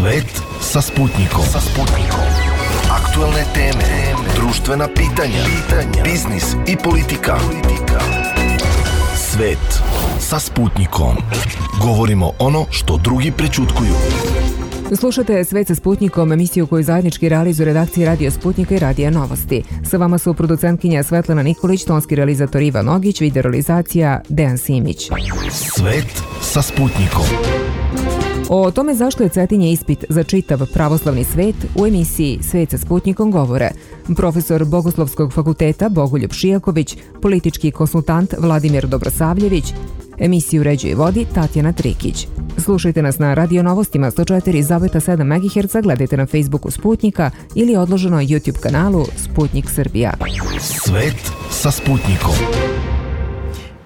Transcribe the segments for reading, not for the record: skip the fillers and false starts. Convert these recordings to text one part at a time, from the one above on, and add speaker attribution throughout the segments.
Speaker 1: Svet sa Sputnikom. Aktualne teme, društvena pitanja, biznis i politika. Svet sa Sputnikom. Govorimo ono što drugi prećutkuju.
Speaker 2: Slušate Svet sa Sputnikom, emisiju koju zajednički realizuju redakcije Radio Sputnika i Radija Novosti. Sa vama su producentkinja Svetlana Nikolić, tonski realizator Ivan Ogić, video realizacija Dejan Simić.
Speaker 1: Svet sa Sputnikom.
Speaker 2: O tome zašto je Cetinje ispit za čitav pravoslavni svet u emisiji Svet sa Sputnikom govore profesor Bogoslovskog fakulteta Bogoljub Šijaković, politički konsultant Vladimir Dobrosavljević, emisiju uređuje i vodi Tatjana Trikić. Slušajte nas na Radio Novostima 104,7 MHz, gledajte na Facebooku Sputnika ili odloženo YouTube kanalu Sputnik Srbija.
Speaker 1: Svet sa Sputnikom.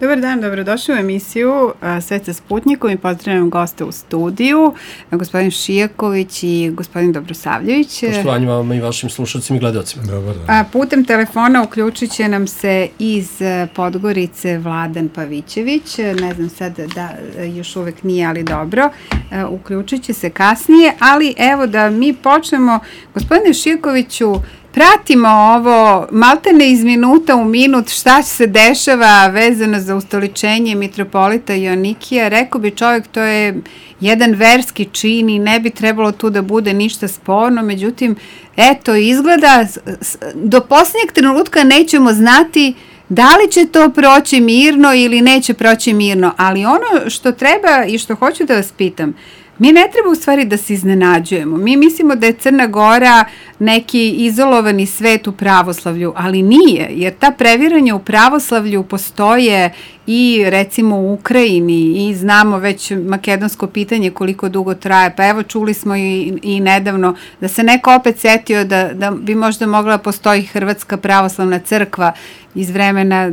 Speaker 3: Dobar dan, dobrodošli u emisiju Svet sa Sputnikom i pozdravljam goste u studiju, gospodin Šijaković i gospodin Dobrosavljević.
Speaker 4: Poštovanje vam i vašim slušalcima i gledalcima.
Speaker 5: Dobar dan.
Speaker 3: Putem telefona uključit će nam se iz Podgorice Vladan Pavićević. Ne znam sad da još uvek nije, ali dobro. Uključit će se kasnije, ali evo da mi počnemo. Gospodine Šijakoviću, pratimo ovo maltene iz minuta u minut šta se dešava vezano za ustoličenje mitropolita Joanikija. Rekao bi čovjek, to je jedan verski čin i ne bi trebalo tu da bude ništa sporno, međutim, eto, izgleda do posljednjeg trenutka nećemo znati da li će to proći mirno ili neće proći mirno, ali ono što treba i što hoću da vas pitam, mi ne treba u stvari da se iznenađujemo. Mi mislimo da je Crna Gora neki izolovani svet u pravoslavlju, ali nije, jer ta previranja u pravoslavlju postoje i recimo u Ukrajini i znamo već makedonsko pitanje koliko dugo traje, pa evo čuli smo i nedavno da se neko opet setio da bi možda mogla postoji Hrvatska pravoslavna crkva iz vremena,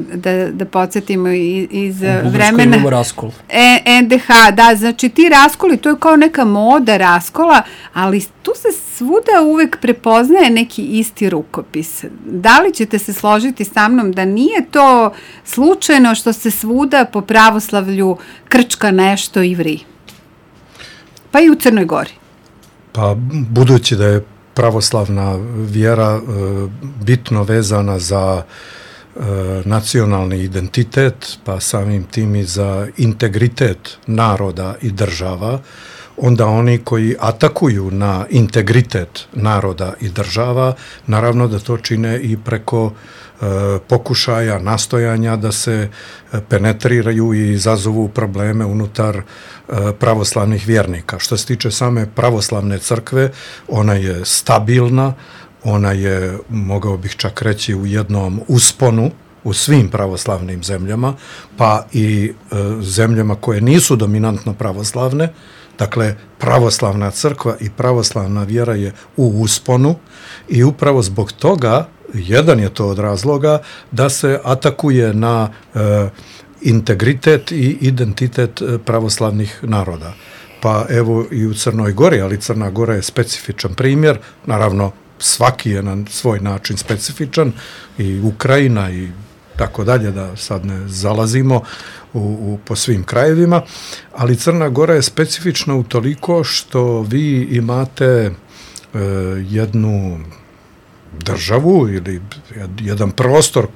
Speaker 3: da podsjetimo iz vremena NDH, da, znači ti raskoli, to je kao neka moda raskola, ali tu se svuda uvek prepoznaje neki isti rukopis. Da li ćete se složiti sa mnom da nije to slučajno što se svuda po pravoslavlju krčka nešto i vri? Pa i u Crnoj Gori.
Speaker 5: Pa budući da je pravoslavna vjera bitno vezana za nacionalni identitet, pa samim tim i za integritet naroda i država, onda oni koji atakuju na integritet naroda i država, naravno da to čine i preko pokušaja, nastojanja da se penetriraju i izazovu probleme unutar pravoslavnih vjernika. Što se tiče same pravoslavne crkve, ona je stabilna, ona je, mogao bih čak reći, u jednom usponu u svim pravoslavnim zemljama, pa i zemljama koje nisu dominantno pravoslavne. Dakle, pravoslavna crkva i pravoslavna vjera je u usponu i upravo zbog toga, jedan je to od razloga, da se atakuje na integritet i identitet pravoslavnih naroda. Pa evo i u Crnoj Gori, ali Crna Gora je specifičan primjer, naravno svaki je na svoj način specifičan, i Ukrajina i tako dalje, da sad ne zalazimo po svim krajevima, ali Crna Gora je specifična utoliko što vi imate jednu državu ili jedan prostor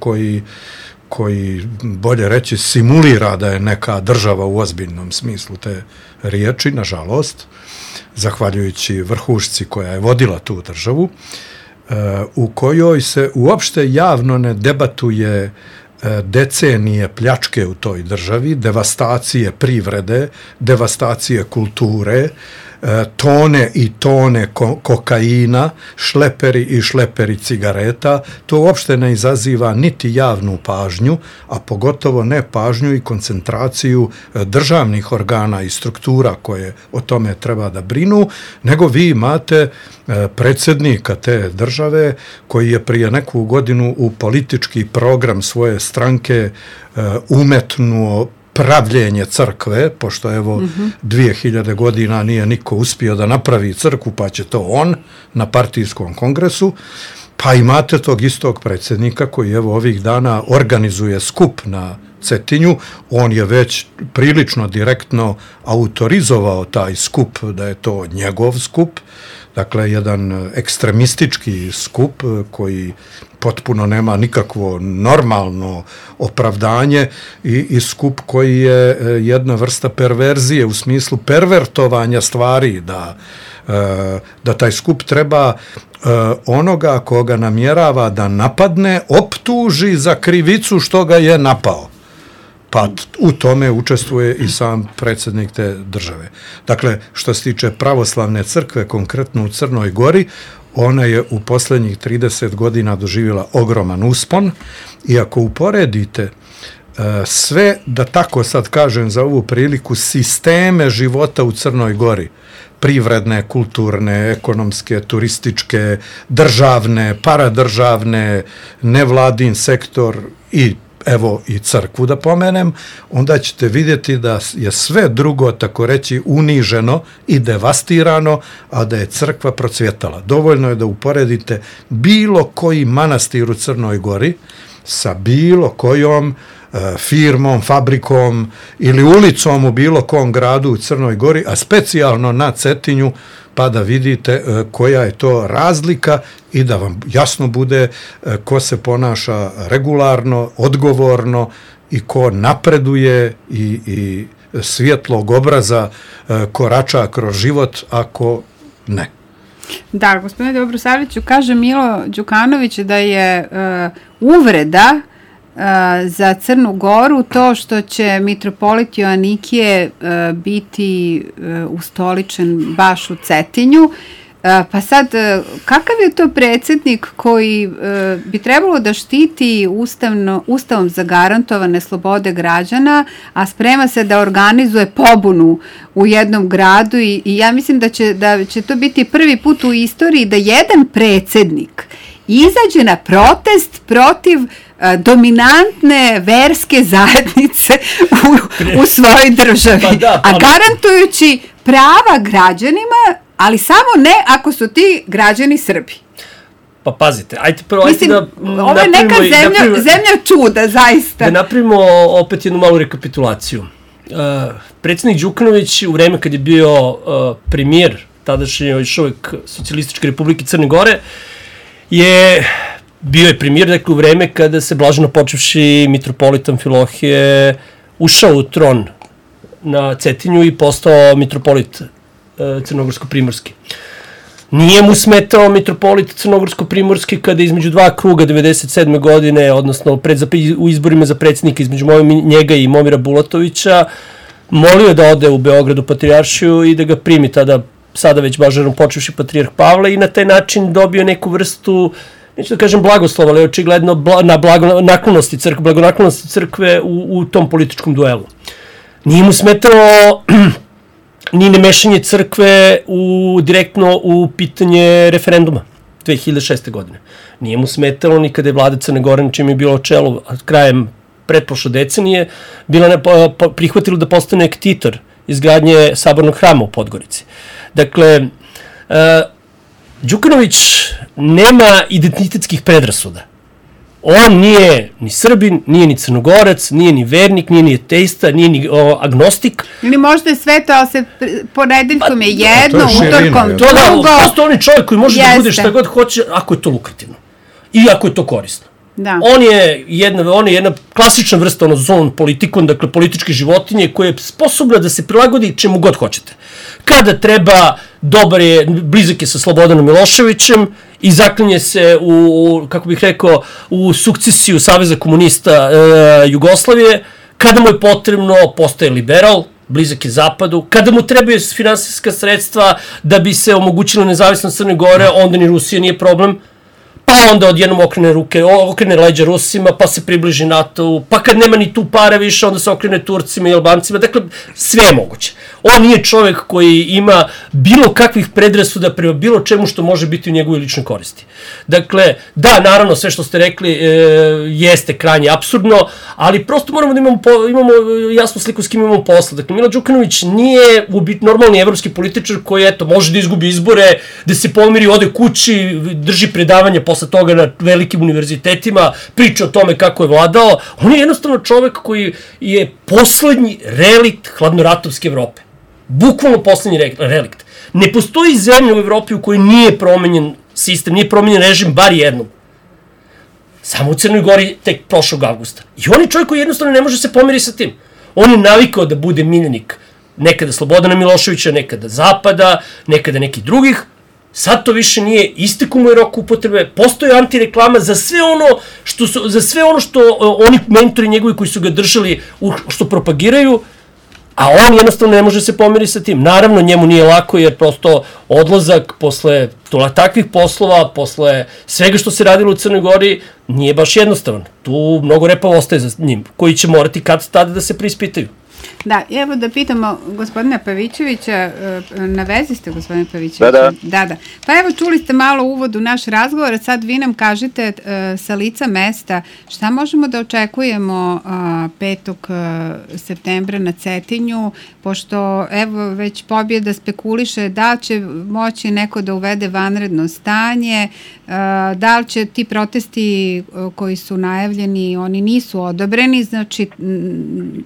Speaker 5: koji bolje reći simulira da je neka država u ozbiljnom smislu te riječi, nažalost, zahvaljujući vrhušci koja je vodila tu državu, u kojoj se uopšte javno ne debatuje decenije pljačke u toj državi, devastacije privrede, devastacije kulture, tone i tone kokaina, šleperi i šleperi cigareta. To uopšte ne izaziva niti javnu pažnju, a pogotovo ne pažnju i koncentraciju državnih organa i struktura koje o tome treba da brinu, nego vi imate predsjednika te države koji je prije neku godinu u politički program svoje stranke umetnuo pravljenje crkve, pošto evo 2000 godina nije niko uspio da napravi crkvu, pa će to on na partijskom kongresu, pa imate tog istog predsjednika koji evo ovih dana organizuje skup na Cetinju, on je već prilično direktno autorizovao taj skup, da je to njegov skup, dakle jedan ekstremistički skup koji potpuno nema nikakvo normalno opravdanje i skup koji je jedna vrsta perverzije u smislu pervertovanja stvari, da taj skup treba onoga koga namjerava da napadne, optuži za krivicu što ga je napao. Pa u tome učestvuje i sam predsjednik te države. Dakle, što se tiče pravoslavne crkve, konkretno u Crnoj Gori, ona je u posljednjih 30 godina doživjela ogroman uspon i ako uporedite sve, da tako sad kažem za ovu priliku, sisteme života u Crnoj Gori, privredne, kulturne, ekonomske, turističke, državne, paradržavne, nevladin sektor i evo i crkvu da pomenem, onda ćete vidjeti da je sve drugo, tako reći, uniženo i devastirano, a da je crkva procvjetala. Dovoljno je da uporedite bilo koji manastir u Crnoj Gori sa bilo kojom firmom, fabrikom ili ulicom u bilo kom gradu u Crnoj Gori, a specijalno na Cetinju, pa da vidite koja je to razlika i da vam jasno bude ko se ponaša regularno, odgovorno i ko napreduje i svjetlog obraza korača kroz život, ako ne.
Speaker 3: Da, gospodine Dobrosavljeviću, kaže Milo Đukanović da je uvreda za Crnu Goru to što će mitropolit Joanikije biti ustoličen baš u Cetinju. Pa sad, kakav je to predsjednik koji bi trebalo da štiti ustavom zagarantovane slobode građana, a sprema se da organizuje pobunu u jednom gradu i ja mislim da će to biti prvi put u istoriji da jedan predsjednik izađe na protest protiv dominantne verske zajednice u svojoj državi, a garantujući prava građanima, ali samo ne ako su ti građani Srbi.
Speaker 4: Pa pazite, ajte prvo,
Speaker 3: mislim, ovo je neka zemlja čuda, zaista.
Speaker 4: Da napravimo opet jednu malu rekapitulaciju. Predsjednik Đukanović u vreme kad je bio premijer tadašnje još uvijek Socijalističke republike Crne Gore bio je premijer, dakle, u vreme kada se blaženo počevši mitropolit Amfilohije ušao u tron na Cetinju i postao mitropolit Crnogorsko-primorski. Nije mu smetao mitropolit Crnogorsko-primorski kada između dva kruga 97. godine, odnosno u izborima za predsjednika između njega i Momira Bulatovića, molio da ode u Beogradu patrijaršiju i da ga primi sada već blaženo počevši patrijarh Pavle i na taj način dobio neku vrstu, neću da kažem blagoslova, ali očigledno blagonaklonosti crkve u tom političkom duelu. Nije mu smetalo ni nemešanje crkve direktno u pitanje referenduma 2006. godine. Nije mu smetalo ni kada je vlada Crne Gore, na čim je bilo čelo krajem pretprošle decenije, prihvatilo da postane ektitor izgradnje sabornog hrama u Podgorici. Dakle, Đukanović nema identitetskih predrasuda. On nije ni Srbin, nije ni Crnogorac, nije ni vernik, nije ni ateista, nije ni agnostik.
Speaker 3: Ili možda je sve to, ali ponedeljkom je jedno, utorkom drugo.
Speaker 4: Prosto on je čovjek koji može da bude šta god hoće, ako je to lukrativno. I ako je to korisno.
Speaker 3: Da.
Speaker 4: On je jedna klasična vrsta zon politikon, dakle političke životinje koja je sposobna da se prilagodi čemu god hoćete. Kada treba, dobar je, blizak je sa Slobodanom Miloševićem i zaklinje se u sukcesiju Saveza komunista Jugoslavije. Kada mu je potrebno, postaje liberal, blizak je Zapadu. Kada mu trebaju finansijska sredstva da bi se omogućila nezavisnost Crne Gore, onda ni Rusija nije problem. Pa onda odjednom okrene leđa Rusima, pa se približi NATO-u, pa kad nema ni tu para više, onda se okrene Turcima i Albancima, dakle, sve je moguće. On nije čovjek koji ima bilo kakvih predrasuda prema bilo čemu što može biti u njegovoj ličnoj koristi. Dakle, da, naravno, sve što ste rekli jeste krajnje apsurdno, ali prosto moramo da imamo jasnu sliku s kim imamo posla. Dakle, Milo Đukanović nije normalni evropski političar koji, može da izgubi izbore, da se pomiri, ode kući, drži predavanje posle posle toga na velikim univerzitetima, priča o tome kako je vladao. On je jednostavno čovek koji je poslednji relikt hladnoratovske Evrope. Bukvalno poslednji relikt. Ne postoji zemlja u Evropi u kojoj nije promenjen sistem, nije promenjen režim, bar jednom. Samo u Crnoj Gori tek prošlog avgusta. I on je čovjek koji jednostavno ne može se pomiriti sa tim. On je navikao da bude miljenik nekada Slobodana Miloševića, nekada Zapada, nekada nekih drugih. Sad to više nije, istekao mu je rok upotrebe, postoji antireklama za sve ono što oni mentori njegovi koji su ga držali, što propagiraju, a on jednostavno ne može se pomiriti sa tim. Naravno, njemu nije lako jer prosto odlazak posle takvih poslova, posle svega što se radilo u Crnoj Gori, nije baš jednostavan. Tu mnogo repa ostaje za njim, koji će morati kad tada da se preispitaju.
Speaker 3: Da, evo da pitamo gospodina Pavićevića, na vezi ste gospodine Pavićević? Da. Pa evo čuli ste malo uvod u naš razgovor, sad vi nam kažete sa lica mesta šta možemo da očekujemo 5. septembra na Cetinju, pošto evo već pobjeda spekuliše da će moći neko da uvede vanredno stanje, da li će ti protesti koji su najavljeni, oni nisu odobreni, znači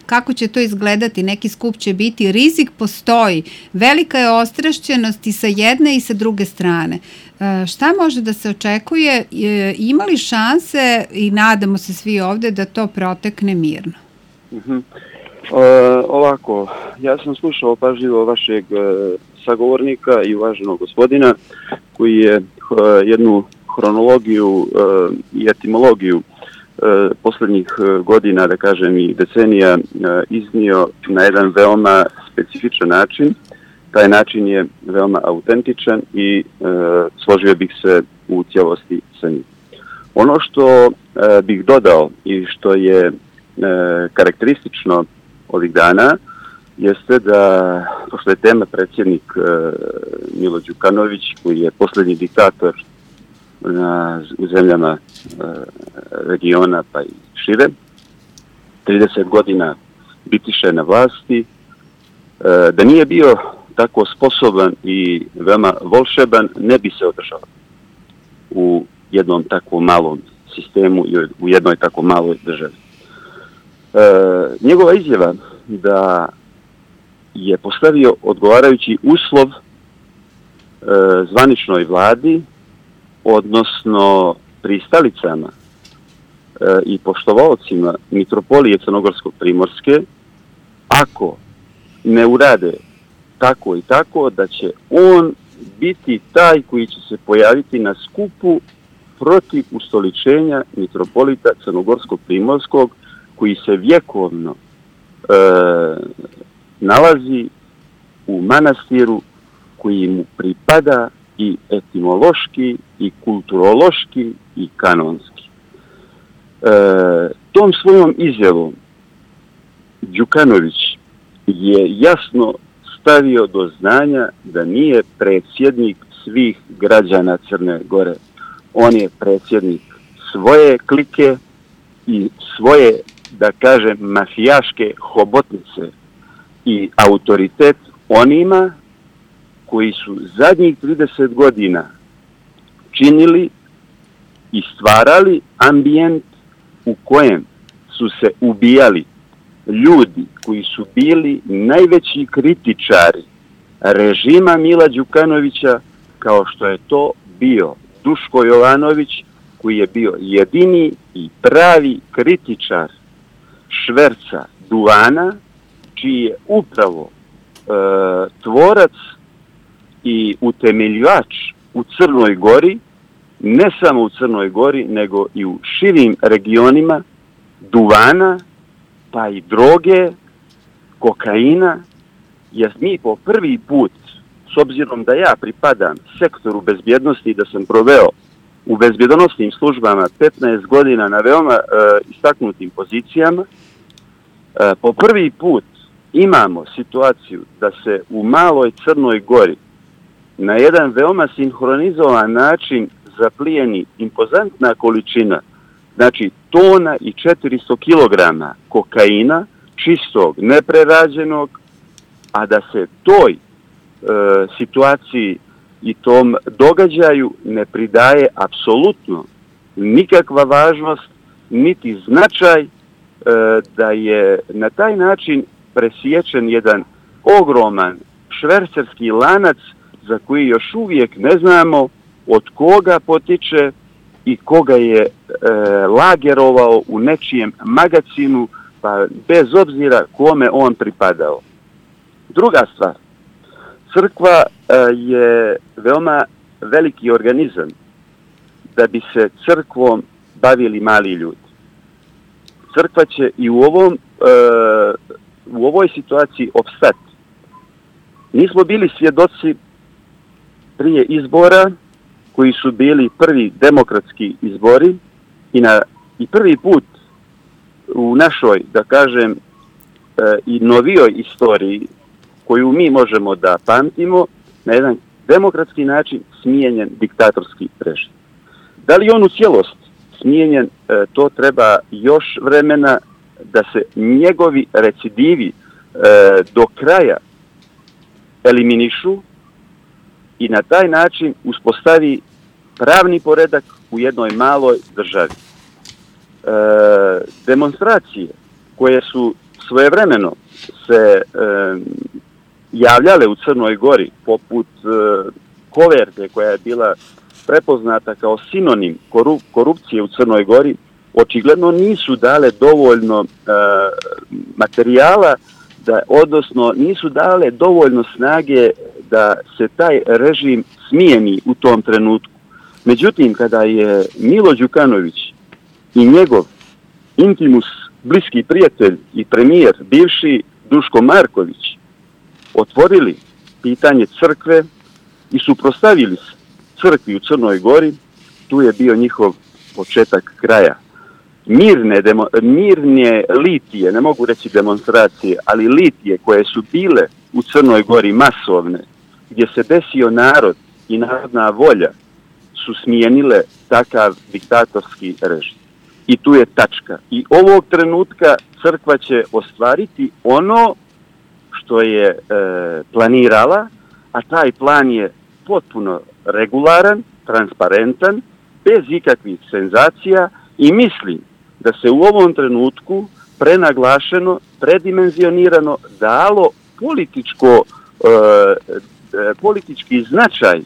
Speaker 3: kako će to izgledati, neki skup će biti, rizik postoji, velika je ostrašćenost i sa jedne i sa druge strane. Šta može da se očekuje, ima li šanse i nadamo se svi ovde da to protekne mirno?
Speaker 6: Ovako, ja sam slušao pažljivo vašeg sagovornika i uvaženog gospodina koji je jednu hronologiju i etimologiju poslednjih godina, da kažem i decenija, iznio na jedan veoma specifičan način. Taj način je veoma autentičan i složio bih se u cijelosti sa njim. Ono što bih dodao i što je karakteristično ovih dana jeste da, pošto je tema predsjednik Milo Đukanović, koji je poslednji diktator u zemljama regiona pa i šire, 30 godina bitiše na vlasti, da nije bio tako sposoban i veoma volšeban, ne bi se održao u jednom tako malom sistemu i u jednoj tako maloj državi. Njegova izjava da je postavio odgovarajući uslov zvaničnoj vladi, odnosno pristalicama i poštovalcima mitropolije Crnogorsko-Primorske, ako ne urade tako i tako, da će on biti taj koji će se pojaviti na skupu protiv ustoličenja mitropolita Crnogorsko-Primorskog, koji se vjekovno nalazi u manastiru koji mu pripada i etimološki, i kulturološki, i kanonski. Tom svojom izjavom Đukanović je jasno stavio do znanja da nije predsjednik svih građana Crne Gore. On je predsjednik svoje klike i svoje, da kažem, mafijaške hobotnice i autoritet onima koji su zadnjih 30 godina činili i stvarali ambijent u kojem su se ubijali ljudi koji su bili najveći kritičari režima Mila Đukanovića, kao što je to bio Duško Jovanović, koji je bio jedini i pravi kritičar šverca duvana, čiji je upravo tvorac i utemeljivač u Crnoj Gori, ne samo u Crnoj Gori, nego i u širim regionima duvana, pa i droge, kokaina, jer mi po prvi put, s obzirom da ja pripadam sektoru bezbjednosti i da sam proveo u bezbjednosnim službama 15 godina na veoma istaknutim pozicijama, po prvi put imamo situaciju da se u maloj Crnoj Gori na jedan veoma sinhronizovan način zaplijeni impozantna količina, znači tona i 400 kilograma kokaina, čistog, neprerađenog, a da se toj situaciji i tom događaju ne pridaje apsolutno nikakva važnost, niti značaj da je na taj način presječen jedan ogroman švercerski lanac za koji još uvijek ne znamo od koga potiče i koga je lagerovao u nečijem magacinu, pa bez obzira kome on pripadao. Druga stvar, crkva je veoma veliki organizam da bi se crkvom bavili mali ljudi. Crkva će i u ovoj situaciji opstati. Nismo bili svjedoci prije izbora, koji su bili prvi demokratski izbori i prvi put u našoj, da kažem, i novijoj istoriji, koju mi možemo da pamtimo, na jedan demokratski način smijenjen diktatorski režim. Da li on u cijelost smijenjen, to treba još vremena da se njegovi recidivi do kraja eliminišu i na taj način uspostavi pravni poredak u jednoj maloj državi. Demonstracije koje su svojevremeno se javljale u Crnoj Gori, poput koverte koja je bila prepoznata kao sinonim korupcije u Crnoj Gori, očigledno nisu dale dovoljno materijala, odnosno nisu dale dovoljno snage da se taj režim smijeni u tom trenutku. Međutim, kada je Milo Đukanović i njegov intimus, bliski prijatelj i premijer, bivši Duško Marković, otvorili pitanje crkve i suprotstavili se crkvi u Crnoj Gori, tu je bio njihov početak kraja. Mirne litije, ne mogu reći demonstracije, ali litije koje su bile u Crnoj Gori masovne, gdje se desio narod i narodna volja, su smijenile takav diktatorski režim. I tu je tačka. I ovog trenutka crkva će ostvariti ono što je planirala, a taj plan je potpuno regularan, transparentan, bez ikakvih senzacija i mislim da se u ovom trenutku prenaglašeno, predimenzionirano dalo politički značaj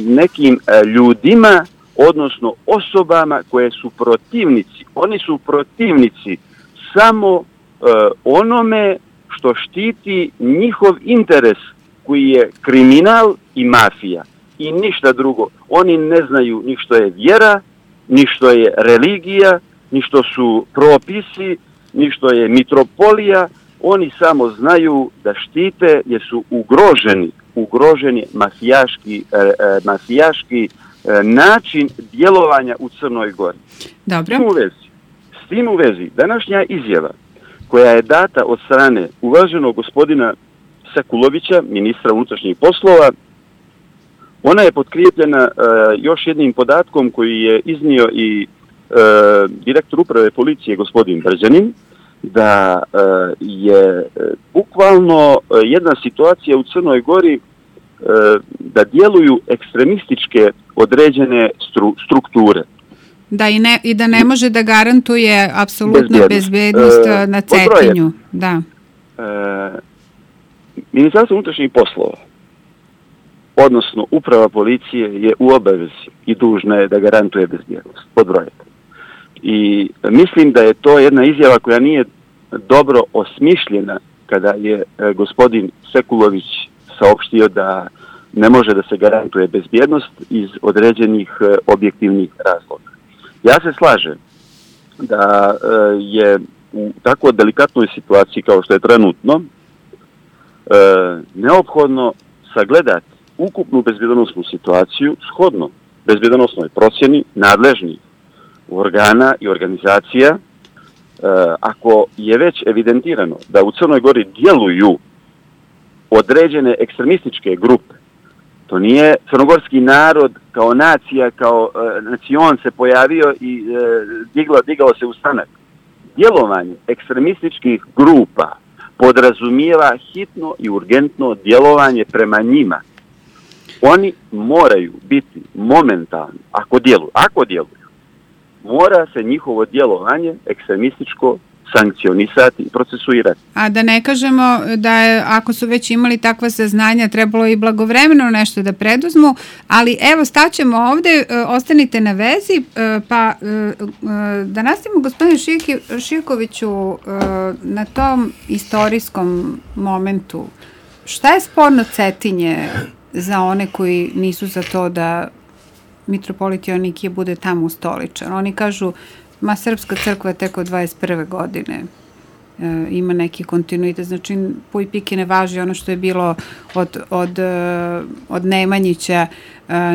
Speaker 6: nekim ljudima, odnosno osobama koje su protivnici. Oni su protivnici samo onome što štiti njihov interes, koji je kriminal i mafija. I ništa drugo. Oni ne znaju ni što je vjera, ni što je religija, ni što su propisi, ni što je mitropolija. Oni samo znaju da štite jer su ugroženi mafijaški način djelovanja u Crnoj Gori.
Speaker 3: Dobro.
Speaker 6: S tim u vezi, današnja izjava koja je data od strane uvaženog gospodina Sekulovića, ministra unutrašnjih poslova, ona je potkrijepljena još jednim podatkom koji je iznio i direktor uprave policije gospodin Brđanin, da je bukvalno jedna situacija u Crnoj Gori da djeluju ekstremističke određene strukture.
Speaker 3: Da i da ne može da garantuje apsolutno bezbednost na Cetinju. Da.
Speaker 6: Ministarstvo unutrašnjih poslova, odnosno uprava policije, je u obavezi i dužna je da garantuje bezbjednost. Pod broj. I mislim da je to jedna izjava koja nije dobro osmišljena kada je gospodin Sekulović saopštio da ne može da se garantuje bezbjednost iz određenih objektivnih razloga. Ja se slažem da je u tako delikatnoj situaciji kao što je trenutno neophodno sagledati ukupnu bezbjednosnu situaciju shodno bezbjednosnoj procjeni nadležnih organa i organizacija. Ako je već evidentirano da u Crnoj Gori djeluju određene ekstremističke grupe, to nije crnogorski narod kao nacija, kao nacion se pojavio i digao se u stanak. Djelovanje ekstremističkih grupa podrazumijeva hitno i urgentno djelovanje prema njima. Oni moraju biti momentalni, ako djeluju, mora se njihovo djelovanje ekstremističko sankcionisati i procesuirati.
Speaker 3: A da ne kažemo da je, ako su već imali takva saznanja, trebalo i blagovremeno nešto da preduzmu, ali evo staćemo ovde, ostanite na vezi, pa da nastavimo gospodine Šijakoviću na tom istorijskom momentu. Šta je sporno Cetinje za one koji nisu za to da mitropolit Joanikije bude tamo ustoličan? Oni kažu, Srpska crkva je tek od 21. godine, ima neki kontinuitet, znači puj pike ne važi ono što je bilo od Nemanjića,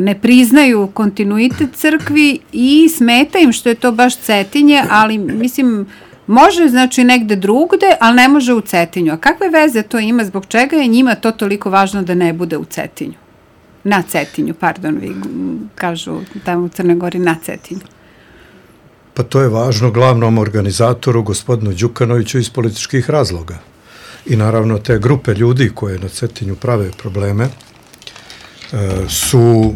Speaker 3: ne priznaju kontinuitet crkvi i smeta im što je to baš Cetinje, ali mislim, može znači negde drugde, ali ne može u Cetinju. A kakve veze to ima, zbog čega je njima to toliko važno da ne bude u Cetinju? Na Cetinju, pardon, vi kažu tamo u Crnoj Gori na Cetinju.
Speaker 5: Pa to je važno glavnom organizatoru, gospodinu Đukanoviću, iz političkih razloga. I naravno te grupe ljudi koje na Cetinju prave probleme su,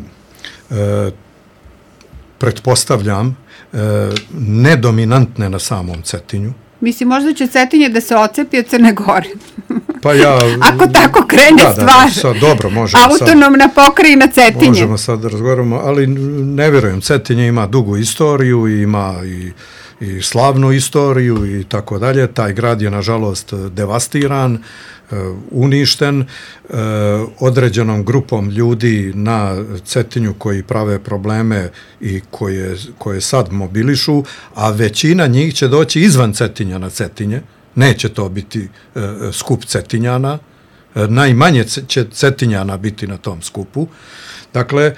Speaker 5: pretpostavljam, nedominantne na samom Cetinju.
Speaker 3: Mislim, možda će Cetinje da se ocepi od Crne Gore.
Speaker 5: Pa ja...
Speaker 3: Ako tako krene stvar.
Speaker 5: Sad, dobro, možemo
Speaker 3: autonomna pokrajina Cetinje.
Speaker 5: Možemo sad da razgovaramo, ali ne vjerujem. Cetinje ima dugu istoriju, ima i slavnu istoriju i tako dalje. Taj grad je, nažalost, devastiran, uništen određenom grupom ljudi na Cetinju koji prave probleme i koje sad mobilišu, a većina njih će doći izvan Cetinja na Cetinje. Neće to biti skup Cetinjana, najmanje će Cetinjana biti na tom skupu. Dakle,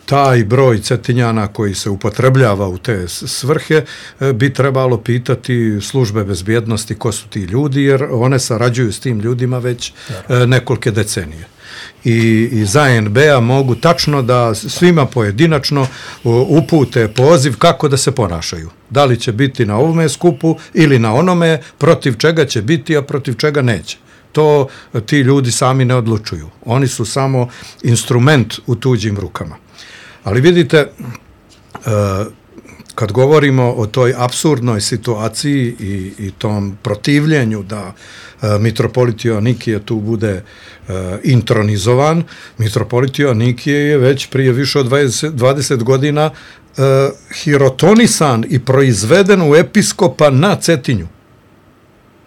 Speaker 5: taj broj Cetinjana koji se upotrebljava u te svrhe bi trebalo pitati službe bezbjednosti ko su ti ljudi, jer one sarađuju s tim ljudima već nekolike decenije. I za NB-a mogu tačno da svima pojedinačno upute poziv kako da se ponašaju. Da li će biti na ovome skupu ili na onome, protiv čega će biti, a protiv čega neće. To ti ljudi sami ne odlučuju. Oni su samo instrument u tuđim rukama. Ali vidite, kad govorimo o toj apsurdnoj situaciji i tom protivljenju da mitropolit Joanikije tu bude intronizovan, mitropolit Joanikije je već prije više od 20 godina hirotonisan i proizveden u episkopa na Cetinju.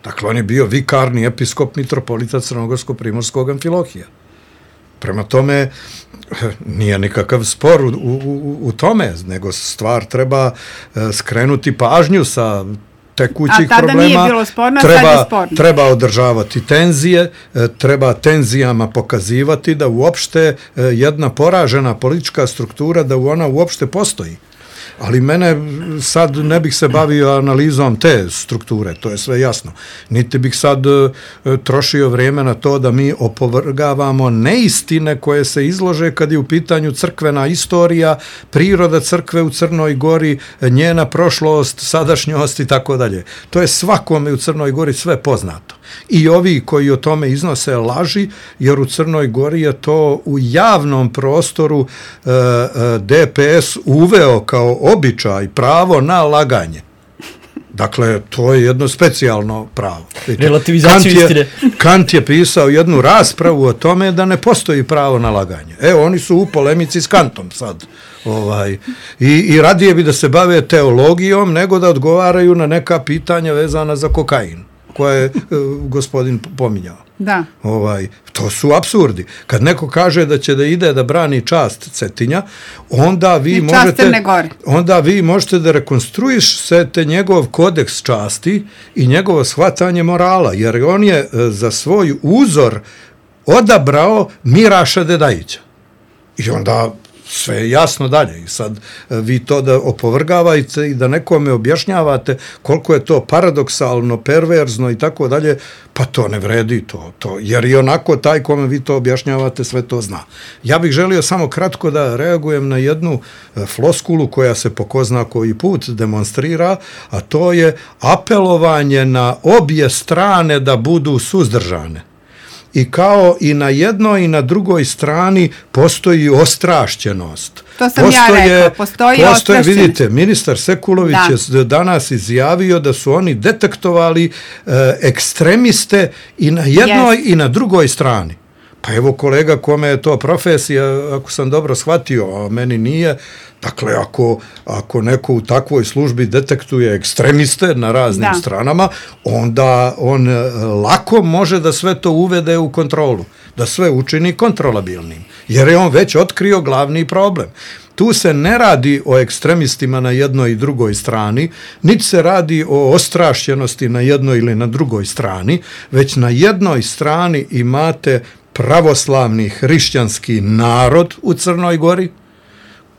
Speaker 5: Dakle, on je bio vikarni episkop mitropolita Crnogorsko-Primorskog Amfilohija. Prema tome, nije nikakav spor u tome, nego stvar treba skrenuti pažnju sa tekućih problema. A tada nije bilo sporno, sad je sporno. Treba održavati tenzije, treba tenzijama pokazivati da uopšte jedna poražena politička struktura, da ona uopšte postoji. Ali mene sad ne bih se bavio analizom te strukture, to je sve jasno. Niti bih sad trošio vrijeme na to da mi opovrgavamo neistine koje se izlože kad je u pitanju crkvena istorija, priroda crkve u Crnoj Gori, njena prošlost, sadašnjost i tako dalje. To je svakome u Crnoj Gori sve poznato. I ovi koji o tome iznose laži, jer u Crnoj Gori je to u javnom prostoru DPS uveo kao običaj, pravo na laganje. Dakle, to je jedno specijalno pravo.
Speaker 4: Relativizaciju istine.
Speaker 5: Kant je pisao jednu raspravu o tome da ne postoji pravo na laganje. Evo, oni su u polemici s Kantom sad. I radije bi da se bave teologijom nego da odgovaraju na neka pitanja vezana za kokain, koje je gospodin pominjao.
Speaker 3: Da.
Speaker 5: To su apsurdi. Kad neko kaže da će da ide da brani čast Cetinja, onda vi možete da rekonstruišete njegov kodeks časti i njegovo shvatanje morala, jer on je za svoj uzor odabrao Miraša Dedajića. I onda sve je jasno dalje. I sad vi to da opovrgavate i da nekome objašnjavate koliko je to paradoksalno, perverzno i tako dalje, pa to ne vredi to, jer i onako taj kome vi to objašnjavate sve to zna. Ja bih želio samo kratko da reagujem na jednu floskulu koja se po ko zna koji put demonstrira, a to je apelovanje na obje strane da budu suzdržane. I kao i na jednoj i na drugoj strani postoji ostrašćenost.
Speaker 3: To sam ja rekao, postoji ostrašćenost.
Speaker 5: Vidite, ministar Sekulović je danas izjavio da su oni detektovali ekstremiste i na jednoj i na drugoj strani. Pa evo kolega kome je to profesija, ako sam dobro shvatio, a meni nije, dakle ako neko u takvoj službi detektuje ekstremiste na raznim stranama, onda on lako može da sve to uvede u kontrolu, da sve učini kontrolabilnim, jer je on već otkrio glavni problem. Tu se ne radi o ekstremistima na jednoj i drugoj strani, niti se radi o ostrašćenosti na jednoj ili na drugoj strani, već na jednoj strani imate pravoslavni hrišćanski narod u Crnoj Gori,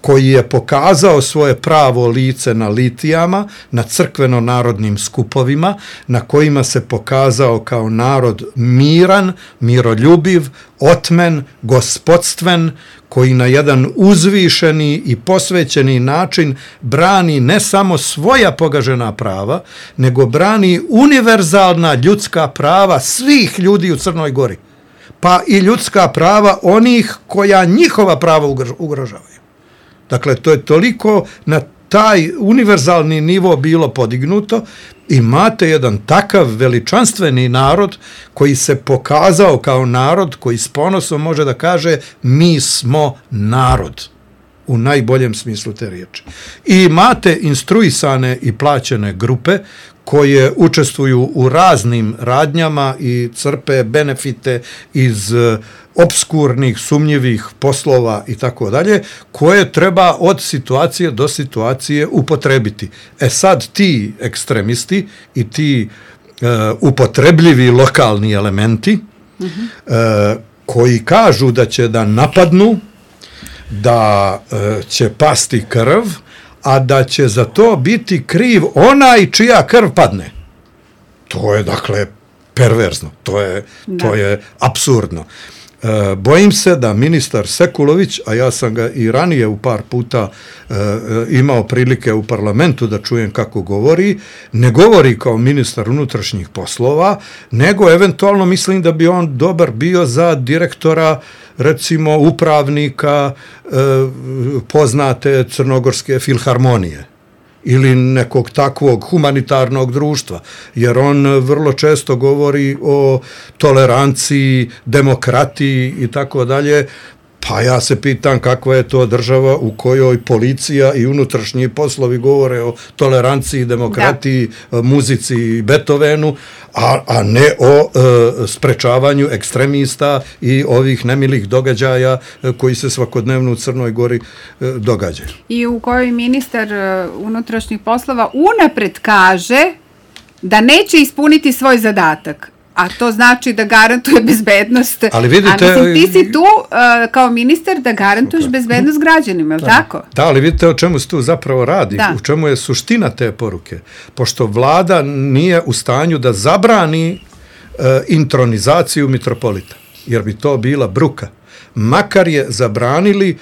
Speaker 5: koji je pokazao svoje pravo lice na litijama, na crkveno-narodnim skupovima, na kojima se pokazao kao narod miran, miroljubiv, otmen, gospodstven, koji na jedan uzvišeni i posvećeni način brani ne samo svoja pogažena prava, nego brani univerzalna ljudska prava svih ljudi u Crnoj Gori, pa i ljudska prava onih koja njihova prava ugrožavaju. Dakle, to je toliko na taj univerzalni nivo bilo podignuto. Imate jedan takav veličanstveni narod koji se pokazao kao narod koji s ponosom može da kaže mi smo narod u najboljem smislu te riječi. I imate instruisane i plaćene grupe koje učestvuju u raznim radnjama i crpe benefite iz obskurnih, sumnjivih poslova i tako dalje, koje treba od situacije do situacije upotrebiti. Sad ti ekstremisti i ti upotrebljivi lokalni elementi koji kažu da će da napadnu, da će pasti krv, a da će za to biti kriv onaj čija krv padne. To je, dakle, perverzno. To je apsurdno. Bojim se da ministar Sekulović, a ja sam ga i ranije u par puta imao prilike u parlamentu da čujem kako govori, ne govori kao ministar unutrašnjih poslova, nego eventualno mislim da bi on dobar bio za direktora, recimo upravnika poznate Crnogorske filharmonije ili nekog takvog humanitarnog društva, jer on vrlo često govori o toleranciji, demokratiji i tako dalje. Pa ja se pitam kakva je to država u kojoj policija i unutrašnji poslovi govore o toleranciji, demokratiji, muzici i Beethovenu, a ne o sprečavanju ekstremista i ovih nemilih događaja koji se svakodnevno u Crnoj Gori događaju.
Speaker 3: I u kojoj ministar unutrašnjih poslova unapred kaže da neće ispuniti svoj zadatak. A to znači da garantuje bezbednost.
Speaker 5: Ali vidite,
Speaker 3: a mislim, ti si tu kao ministar da garantuješ bezbednost građanima, je li tako?
Speaker 5: Da, ali vidite o čemu se tu zapravo radi, u čemu je suština te poruke. Pošto vlada nije u stanju da zabrani intronizaciju mitropolita, jer bi to bila bruka. Makar je zabranili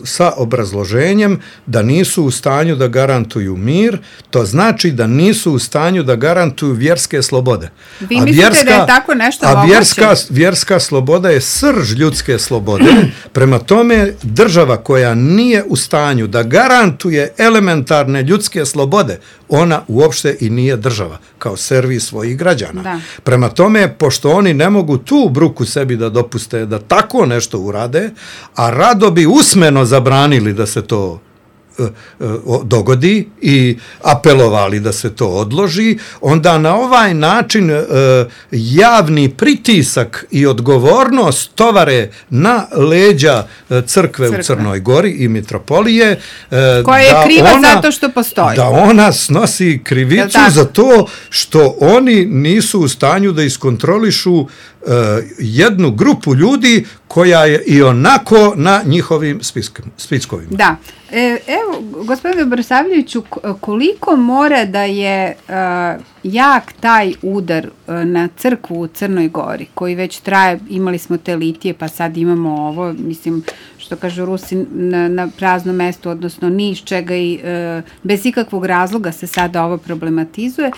Speaker 5: sa obrazloženjem da nisu u stanju da garantuju mir, to znači da nisu u stanju da garantuju vjerske slobode.
Speaker 3: Vi mislite da je tako nešto moguće?
Speaker 5: A vjerska sloboda je srž ljudske slobode. Prema tome, država koja nije u stanju da garantuje elementarne ljudske slobode, ona uopšte i nije država, kao servis svojih građana.
Speaker 3: Da.
Speaker 5: Prema tome, pošto oni ne mogu tu bruku sebi da dopuste da tako nešto urade, a rado bi usmeno zabranili da se to dogodi i apelovali da se to odloži, onda na ovaj način javni pritisak i odgovornost tovare na leđa crkve u Crnoj Gori i mitropolije,
Speaker 3: koja je kriva zato što postoji.
Speaker 5: Da ona snosi krivicu za to što oni nisu u stanju da iskontrolišu jednu grupu ljudi koja je i onako na njihovim spiskovima.
Speaker 3: Da. Evo, gospodine Brsavljeviću, koliko mora da je jak taj udar na crkvu u Crnoj Gori, koji već traje, imali smo te litije, pa sad imamo ovo, mislim, što kažu Rusi, na praznom mestu, odnosno ni iz čega i bez ikakvog razloga se sada ovo problematizuje.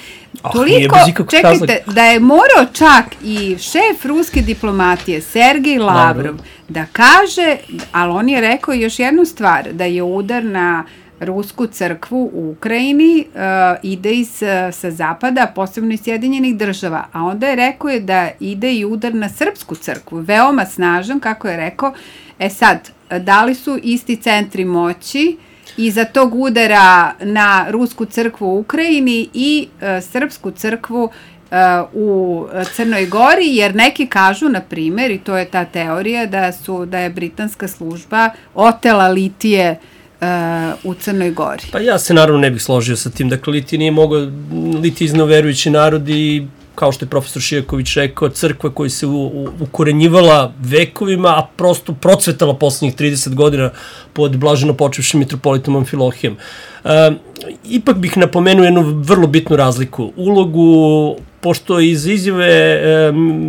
Speaker 3: Toliko, čekajte, da je morao čak i šef ruske diplomatije, Sergej Lavrov, da kaže, ali on je rekao još jednu stvar, da je udar na rusku crkvu u Ukrajini ide sa zapada, posebno iz Sjedinjenih država, a onda je rekao da ide i udar na srpsku crkvu, veoma snažan, kako je rekao. Sad, da li su isti centri moći iza tog udara na rusku crkvu u Ukrajini i srpsku crkvu u Crnoj Gori, jer neki kažu, na primjer, i to je ta teorija, da je britanska služba otela litije u Crnoj Gori.
Speaker 4: Pa ja se naravno ne bih složio sa tim. Dakle, litije nije mogao, litije iznoverujući narod i kao što je profesor Šijaković rekao, crkva koja se ukorenjivala vekovima, a prosto procvetala poslednjih 30 godina pod blaženo počevšim mitropolitom Amfilohijem. Ipak bih napomenuo jednu vrlo bitnu razliku. Ulogu, pošto iz izjave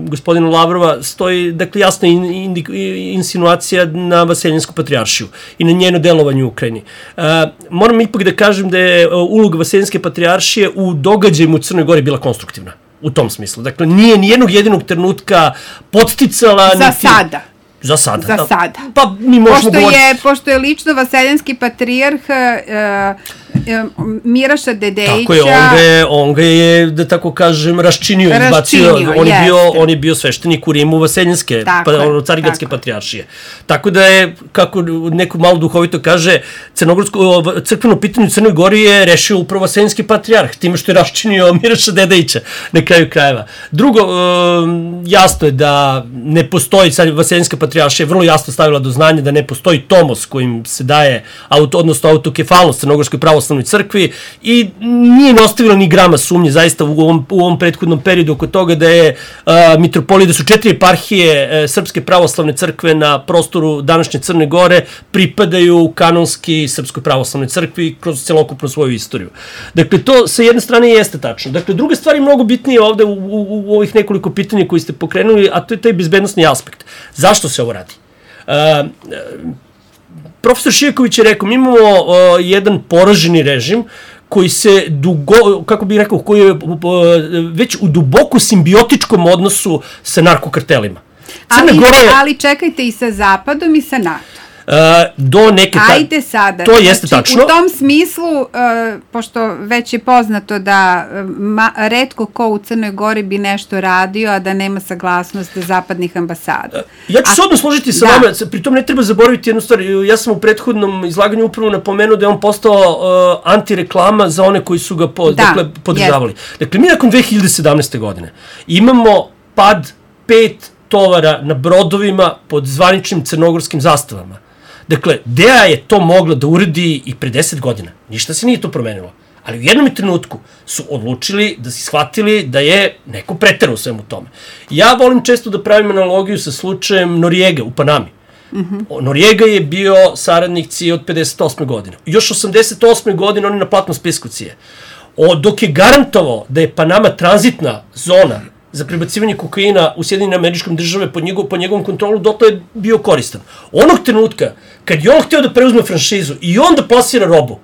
Speaker 4: gospodina Lavrova stoji, dakle, jasna insinuacija na Vaseljinsku patrijaršiju i na njeno delovanje u Ukrajini. Moram ipak da kažem da je uloga Vaseljenske patrijaršije u događajima u Crnoj Gori bila konstruktivna. U tom smislu. Dakle, nije ni jednog jedinog trenutka podsticala...
Speaker 3: Za sada.
Speaker 4: Za sada.
Speaker 3: Za sada.
Speaker 4: Pa mi možemo govoriti...
Speaker 3: Pošto je lično Vaseljenski patrijarh Miraša Dedejića...
Speaker 4: Tako je, on ga je, da tako kažem, raščinio, izbacio. On je bio sveštenik u Rimu Vaseljenske, Carigradske patrijaršije. Tako da je, kako neko malo duhovito kaže, crkveno pitanje u Crnoj Gori je rešio upravo Vaseljenski patrijarh, time što je raščinio Miraša Dedejića na kraju krajeva. Drugo, jasno je da ne postoji, sad Vaseljenska patrijaršija je vrlo jasno stavila do znanja da ne postoji tomos kojim se daje, odnosno autokefalnost Crnogorskoj pravoslavnoj crkvi i nije ne ostavila ni grama sumnje zaista u ovom prethodnom periodu oko toga da je mitropolija, da su 4 eparhije Srpske pravoslavne crkve na prostoru današnje Crne Gore pripadaju kanonski Srpskoj pravoslavnoj crkvi kroz celokupnu svoju istoriju. Dakle, to sa jedne strane jeste tačno. Dakle, druga stvar je mnogo bitnije ovde u ovih nekoliko pitanja koji ste pokrenuli, a to je taj bezbednosni aspekt. Zašto se ovo radi? Profesor Šijaković je rekao, mi imamo jedan poraženi režim koji se kako bih rekao, koji je već u duboko simbiotičkom odnosu sa narkokartelima.
Speaker 3: Ali čekajte i sa Zapadom i sa NATO.
Speaker 4: Do neke...
Speaker 3: Ajde sada.
Speaker 4: To jeste tačno.
Speaker 3: U tom smislu, pošto već je poznato da retko ko u Crnoj Gori bi nešto radio, a da nema saglasnost zapadnih ambasada.
Speaker 4: Ja ću se odmah složiti sa vama, pritom ne treba zaboraviti jednu stvar. Ja sam u prethodnom izlaganju upravo napomenuo da je on postao antireklama za one koji su ga podržavali. Dakle, mi nakon 2017. godine imamo pad 5 tovara na brodovima pod zvaničnim crnogorskim zastavama. Dakle, DEA je to mogla da uradi i pre 10 godina. Ništa se nije to promenilo. Ali u jednom trenutku su odlučili da si shvatili da je neko preterao u svemu tome. Ja volim često da pravim analogiju sa slučajem Norijega u Panami. Norijega je bio saradnik CIA od 58. godine. Još 88. godine on je na platnom spisku CIA. Dok je garantovao da je Panama tranzitna zona za prebacivanje kokaina u Sjedinjene Američke Države pod njegovom kontrolu, dotle je bio koristan. Onog trenutka, kad je on hteo da preuzme franšizu i on da plasira robu,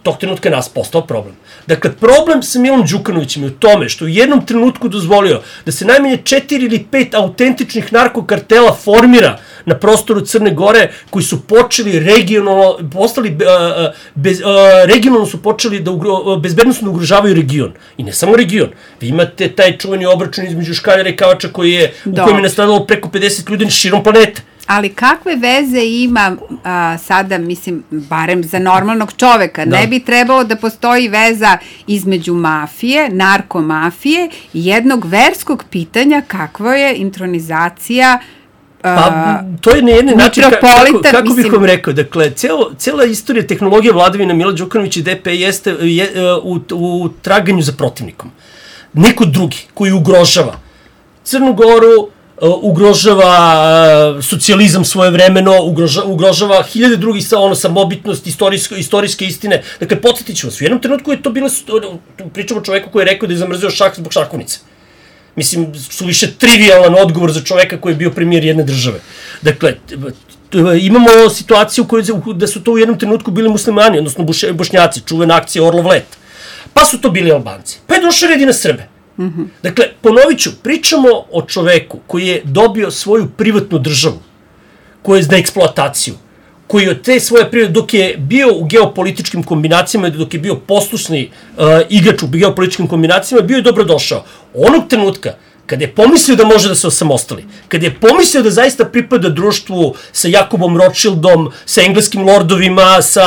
Speaker 4: tog trenutka je nas postao problem. Dakle, problem sa Milom Đukanovićem je u tome što u jednom trenutku dozvolio da se najmanje 4 ili 5 autentičnih narkokartela formira na prostoru Crne Gore, koji su počeli regionalno, regionalno su počeli da bezbednostno ugrožavaju region. I ne samo region. Vi imate taj čuveni obračun između Škaljara i Kavača u kojem je nastradalo preko 50 ljudi širom planete.
Speaker 3: Ali kakve veze ima sada, mislim, barem za normalnog čoveka, ne bi trebalo da postoji veza između mafije, narkomafije i jednog verskog pitanja kakva je intronizacija
Speaker 4: pa, to je na jedan način, kako bih vam rekao, dakle, cijela istorija tehnologije vladavine Mila Đukanovića i DP jeste u traganju za protivnikom. Neko drugi koji ugrožava Crnu Goru, ugrožava socijalizam svojevremeno, ugrožava hiljade drugih samobitnost, istorijske istine. Dakle, podsjetit ću vas, u jednom trenutku je to bilo, pričamo o čoveku koji je rekao da je zamrzio šah zbog šahovnice. Mislim, su više trivialan odgovor za čoveka koji je bio premijer jedne države. Dakle, imamo situaciju da su to u jednom trenutku bili muslimani, odnosno bošnjaci, čuvena akcija Orlov let. Pa su to bili Albanci. Pa je došao red i na Srbe. Dakle, ponovit ću, pričamo o čoveku koji je dobio svoju privatnu državu, koji je za eksploataciju, koji od te svoje prirode, dok je bio u geopolitičkim kombinacijama, dok je bio poslušni igrač u geopolitičkim kombinacijama, bio je dobrodošao. Onog trenutka, kada je pomislio da može da se osamostali, kada je pomislio da zaista pripada društvu sa Jakobom Rothschildom, sa engleskim lordovima, sa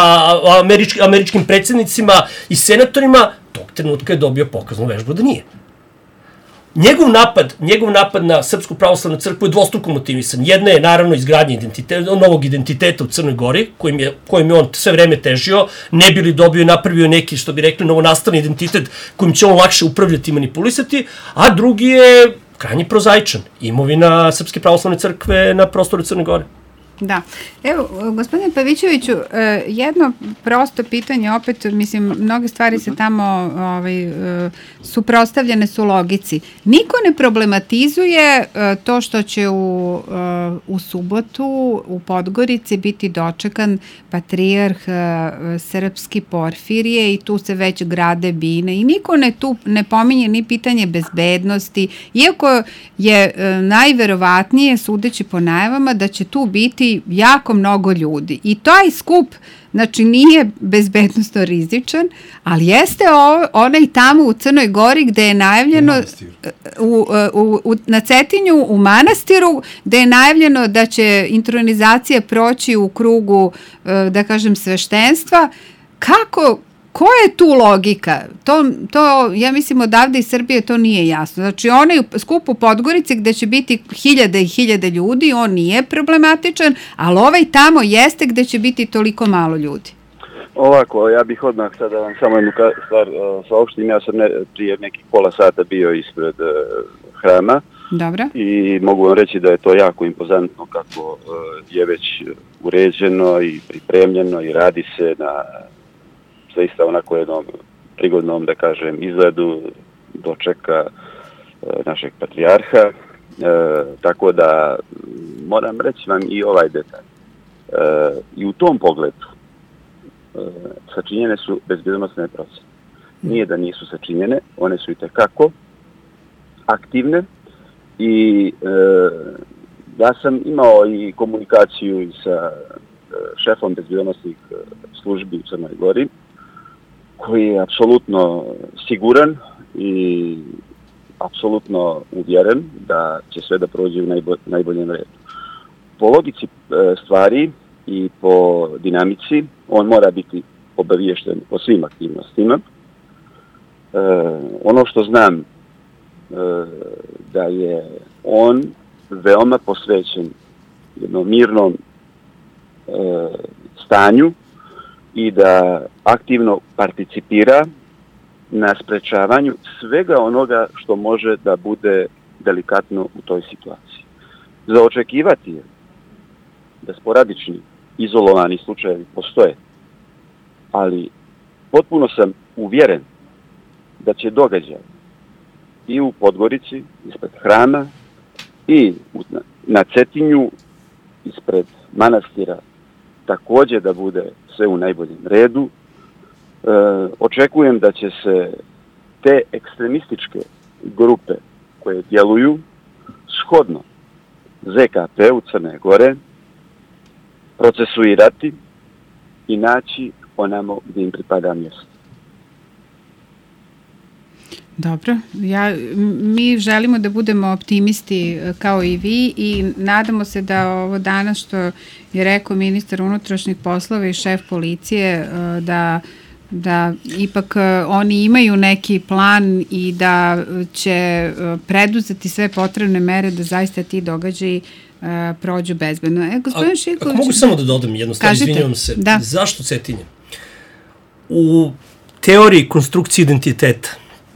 Speaker 4: američkim predsjednicima i senatorima, tog trenutka je dobio pokaznu vežbu da nije. Njegov napad na Srpsku pravoslavnu crkvu je dvostruko motivisan. Jedna je naravno izgradnja novog identiteta u Crnoj Gori, kojim je on sve vreme težio, ne bi li dobio i napravio neki, što bi rekli, novonastali identitet kojim će on lakše upravljati i manipulisati, a drugi je krajnje prozaičan. Imovina Srpske pravoslavne crkve na prostoru Crne Gore.
Speaker 3: Da. Evo, gospodine Pavićeviću, jedno prosto pitanje, opet, mislim, mnoge stvari se tamo suprotstavljene su logici. Niko ne problematizuje to što će u subotu u Podgorici biti dočekan patrijarh srpski Porfirije i tu se već grade bine i niko tu ne pominje ni pitanje bezbednosti, iako je najverovatnije, sudeći po najavama, da će tu biti jako mnogo ljudi. I taj skup, znači, nije bezbednosno rizičan, ali jeste onaj tamo u Crnoj Gori gde je najavljeno na Cetinju u manastiru, gde je najavljeno da će intronizacija proći u krugu, da kažem, sveštenstva. Koja je tu logika? To, ja mislim, odavde iz Srbije to nije jasno. Znači, onaj skup u Podgorici gde će biti hiljade i hiljade ljudi, on nije problematičan, ali ovaj tamo jeste gde će biti toliko malo ljudi.
Speaker 6: Ovako, ja bih odmah sada vam samo jednu stvar saopštim. Ja sam prije nekih pola sata bio ispred hrama.
Speaker 3: Dobro.
Speaker 6: I mogu vam reći da je to jako impozantno kako je već uređeno i pripremljeno i radi se na zaista onako jednom prigodnom, da kažem, izgledu dočeka našeg patrijarha. Tako da moram reći vam i ovaj detalj. I u tom pogledu sačinjene su bezbednosne procene. Nije da nisu sačinjene, one su itekako aktivne i ja sam imao i komunikaciju i sa šefom bezbednosnih službi u Crnoj Gori, koji je apsolutno siguran i apsolutno uvjeren da će sve da prođe u najboljem redu. Po logici stvari i po dinamici, on mora biti obaviješten o svim aktivnostima. Ono što znam da je on veoma posvećen jednom mirnom stanju i da aktivno participira na sprečavanju svega onoga što može da bude delikatno u toj situaciji. Za očekivati je da sporadični, izolovani slučajevi postoje, ali potpuno sam uvjeren da će događaj i u Podgorici, ispred hrama, i na Cetinju, ispred manastira, također da bude sve u najboljem redu. Očekujem da će se te ekstremističke grupe koje djeluju shodno ZKP-u Crne Gore procesuirati i naći onamo gdje im pripada mjesto.
Speaker 3: Dobro, mi želimo da budemo optimisti kao i vi i nadamo se da ovo danas što je rekao ministar unutrašnjih poslova i šef policije da ipak oni imaju neki plan i da će preduzeti sve potrebne mere da zaista ti događaji prođu bezbedno. Gospodin Šiković,
Speaker 4: ako mogu samo da dodam jednu stvar, izvinjavam se.
Speaker 3: Da.
Speaker 4: Zašto Cetinje? U teoriji konstrukcije identiteta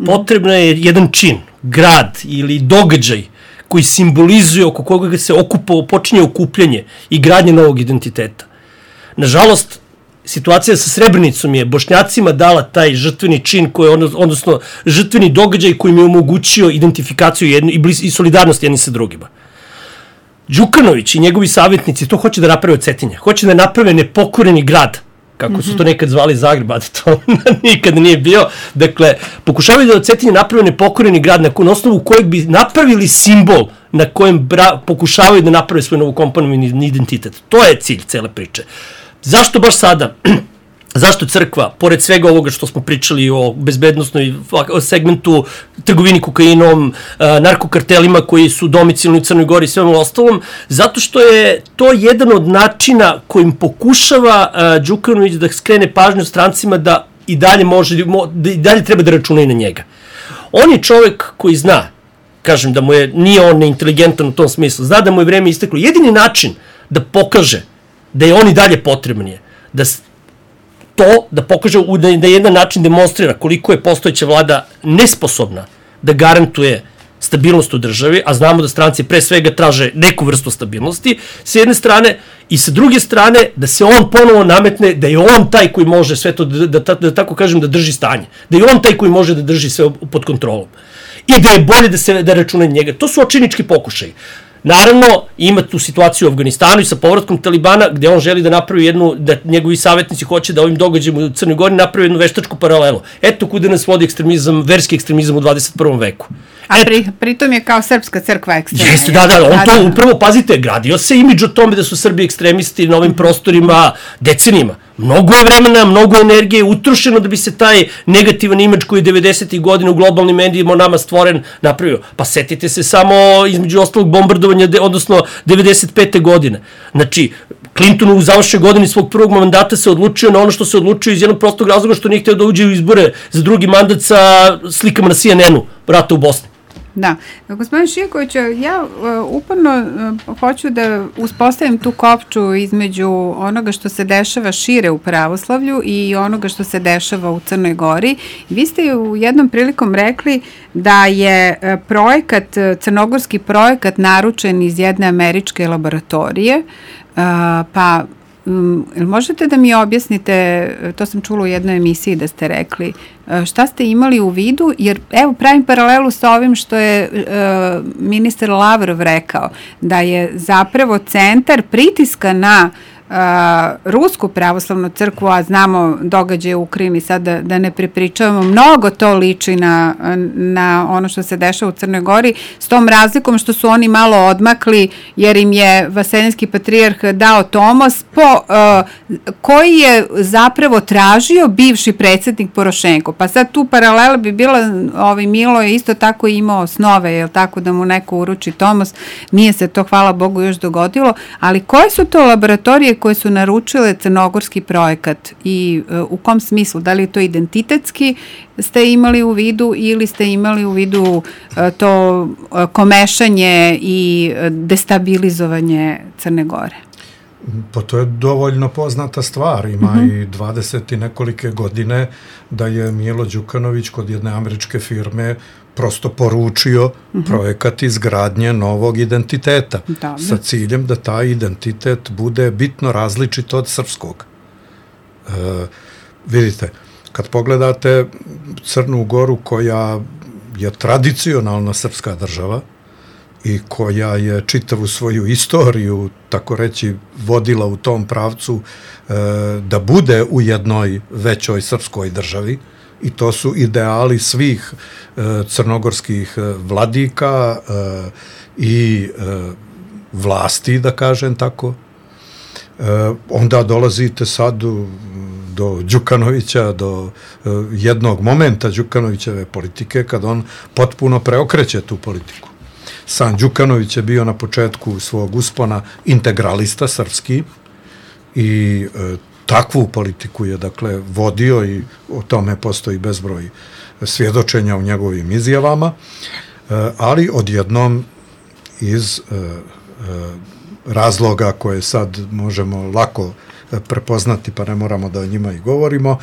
Speaker 4: potrebno je jedan čin, grad ili događaj koji simbolizuje, oko koga se počinje okupljanje i gradnje novog identiteta. Nažalost, situacija sa Srebrenicom je Bošnjacima dala taj žrtveni čin, odnosno žrtveni događaj koji im je omogućio identifikaciju i solidarnost jedni sa drugima. Đukanović i njegovi savjetnici to hoće da naprave od Cetinja. Hoće da naprave nepokoreni grad, kako su to nekad zvali Zagreb, a to nikad nije bio. Dakle, pokušavaju da od Cetinja naprave nepokoreni grad na osnovu kojeg bi napravili simbol na kojem pokušavaju da naprave svoj novokomponovani identitet. To je cilj cele priče. Zašto baš sada? Zašto crkva, pored svega ovoga što smo pričali o bezbednostnoj segmentu, trgovini kokainom, narkokartelima koji su domicilni u Crnoj Gori i svemu ostalom? Zato što je to jedan od načina kojim pokušava Đukanović da skrene pažnju strancima da i dalje treba da računaju na njega. On je čovek koji zna, kažem da nije on neinteligentan u tom smislu, zna da mu je vreme isteklo. Jedini način da pokaže da je on i dalje potreban je da pokaže, da jedan način demonstrira koliko je postojeća vlada nesposobna da garantuje stabilnost u državi, a znamo da stranci pre svega traže neku vrstu stabilnosti, s jedne strane, i sa druge strane da se on ponovo nametne da je on taj koji može sve to, da tako kažem, da drži stanje, da je on taj koji može da drži sve pod kontrolom i da je bolje da računa njega. To su očajnički pokušaji. Naravno, ima tu situaciju u Afganistanu i sa povratkom Talibana, gde on želi da napravi da njegovi savjetnici hoće da ovim događajima u Crnoj Gori napravi jednu veštačku paralelu. Eto kuda nas vodi verski ekstremizam u 21. veku.
Speaker 3: A pritom je kao srpska crkva ekstremna.
Speaker 4: Jeste, da, on to upravo, pazite, gradio se imidž o tome da su Srbi ekstremisti na ovim prostorima decenijima. Mnogo je vremena, mnogo energije utrošeno da bi se taj negativan imidž koji je 90. godina u globalnim medijima o nama stvoren napravio. Pa setite se samo između ostalog bombardovanja, odnosno 95. godine. Znači, Clinton u završnoj godini svog prvog mandata se odlučio na ono što se odlučio iz jednog prostog razloga što nije htio da uđe u izbore za drugi mandat sa slikama na CNN-u, rata u Bosni.
Speaker 3: Da. Gospodin Šijaković, ja uporno hoću da uspostavim tu kopču između onoga što se dešava šire u pravoslavlju i onoga što se dešava u Crnoj Gori. Vi ste u jednom prilikom rekli da je crnogorski projekat naručen iz jedne američke laboratorije, pa možete da mi objasnite, to sam čula u jednoj emisiji da ste rekli, šta ste imali u vidu, jer evo pravim paralelu sa ovim što je ministar Lavrov rekao, da je zapravo centar pritiska na Rusku pravoslavnu crkvu, a znamo događaje u Ukrajini, sad da ne prepričavamo, mnogo to liči na ono što se dešava u Crnoj Gori, s tom razlikom što su oni malo odmakli, jer im je Vaseljenski patrijarh dao tomos koji je zapravo tražio bivši predsjednik Porošenko. Pa sad tu paralela bi bila, Milo je isto tako imao snove, jel tako, da mu neko uruči tomos, nije se to, hvala Bogu, još dogodilo, ali koje su to laboratorije koje su naručile crnogorski projekat i u kom smislu? Da li je to identitetski ste imali u vidu ili ste imali u vidu to komešanje i destabilizovanje Crne Gore?
Speaker 5: Pa to je dovoljno poznata stvar. Ima i 20 i nekolike godine da je Milo Đukanović kod jedne američke firme prosto poručio projekat izgradnje novog identiteta sa ciljem da taj identitet bude bitno različit od srpskog. Vidite, kad pogledate Crnu Goru koja je tradicionalno srpska država i koja je čitavu svoju istoriju, tako reći, vodila u tom pravcu da bude u jednoj većoj srpskoj državi, i to su ideali svih crnogorskih vladika i vlasti, da kažem tako. Onda dolazite sad do Đukanovića, do jednog momenta Đukanovićeve politike, kad on potpuno preokreće tu politiku. Sam Đukanović je bio na početku svog uspona integralista srpski i takvu politiku je, dakle, vodio i o tome postoji bezbroj svjedočenja u njegovim izjavama, ali odjednom iz razloga koje sad možemo lako prepoznati, pa ne moramo da o njima i govorimo,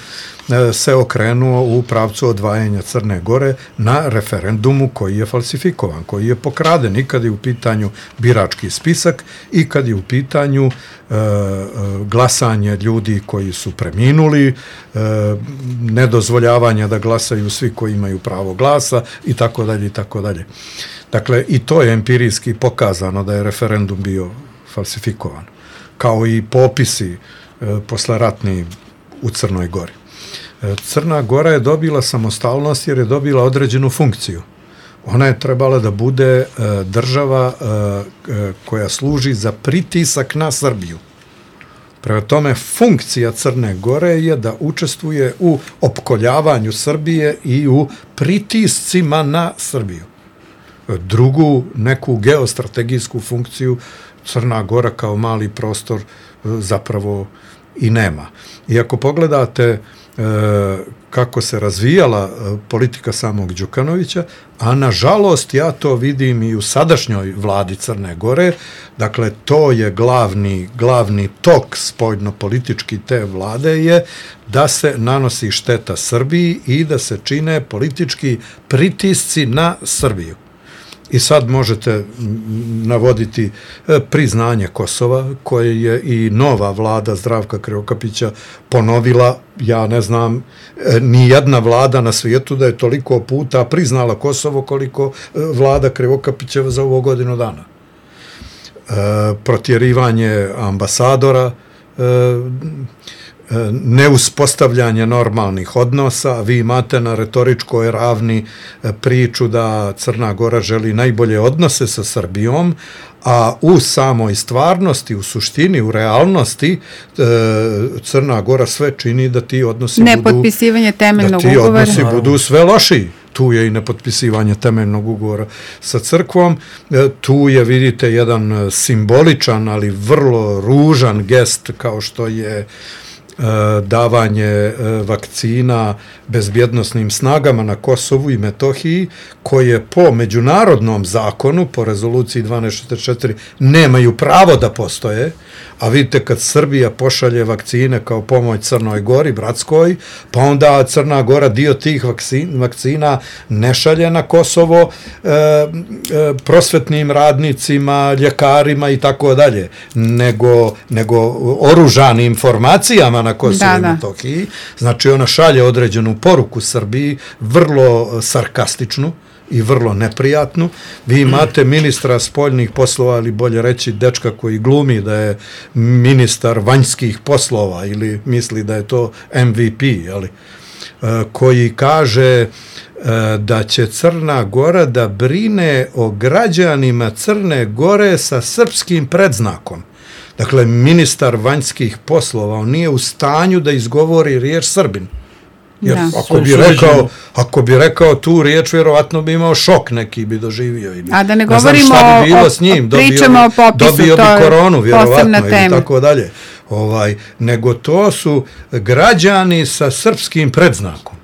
Speaker 5: se okrenuo u pravcu odvajanja Crne Gore na referendumu koji je falsifikovan, koji je pokraden i kad je u pitanju birački spisak i kad je u pitanju glasanje ljudi koji su preminuli, nedozvoljavanja da glasaju svi koji imaju pravo glasa i tako dalje i tako dalje. Dakle, i to je empirijski pokazano da je referendum bio falsifikovan, kao i popisi posleratni u Crnoj Gori. Crna Gora je dobila samostalnost jer je dobila određenu funkciju. Ona je trebala da bude država koja služi za pritisak na Srbiju. Prema tome, funkcija Crne Gore je da učestvuje u opkoljavanju Srbije i u pritiscima na Srbiju. Drugu, neku geostrategijsku funkciju Crna Gora kao mali prostor zapravo i nema. I ako pogledate kako se razvijala politika samog Đukanovića, a nažalost ja to vidim i u sadašnjoj vladi Crne Gore, dakle to je glavni tok spoljnopolitički te vlade je da se nanosi šteta Srbiji i da se čine politički pritisci na Srbiju. I sad možete navoditi priznanje Kosova, koje je i nova vlada Zdravka Krivokapića ponovila. Ja ne znam ni jedna vlada na svijetu da je toliko puta priznala Kosovo koliko vlada Krivokapićeva za ovo godinu dana. Protjerivanje ambasadora, neuspostavljanje normalnih odnosa, vi imate na retoričkoj ravni priču da Crna Gora želi najbolje odnose sa Srbijom, a u samoj stvarnosti, u suštini, u realnosti, Crna Gora sve čini da ti odnosi
Speaker 3: nepotpisivanje temeljnog ugovora.
Speaker 5: Da ti odnosi budu sve lošiji. Tu je i nepotpisivanje temeljnog ugovora sa crkvom, tu je, vidite, jedan simboličan, ali vrlo ružan gest kao što je davanje vakcina bezbjednosnim snagama na Kosovu i Metohiji, koje po međunarodnom zakonu, po rezoluciji 1244, nemaju pravo da postoje, a vidite kad Srbija pošalje vakcine kao pomoć Crnoj Gori, bratskoj, pa onda Crna Gora dio tih vakcina ne šalje na Kosovo prosvetnim radnicima, ljekarima i tako dalje, nego oružanim formacijama na Kosovu i Metohiji. Znači ona šalje određenu poruku Srbiji, vrlo sarkastičnu i vrlo neprijatnu. Vi imate ministra spoljnih poslova, ili bolje reći dečka koji glumi da je ministar vanjskih poslova ili misli da je to MVP, koji kaže da će Crna Gora da brine o građanima Crne Gore sa srpskim predznakom. Dakle, ministar vanjskih poslova, on nije u stanju da izgovori riječ Srbin. Jer ako bi rekao tu riječ, vjerovatno bi imao šok, neki bi doživio.
Speaker 3: A da ne govorimo pričamo o popisu,
Speaker 5: dobio bi koronu, vjerovatno, ili tako dalje. Nego to su građani sa srpskim predznakom.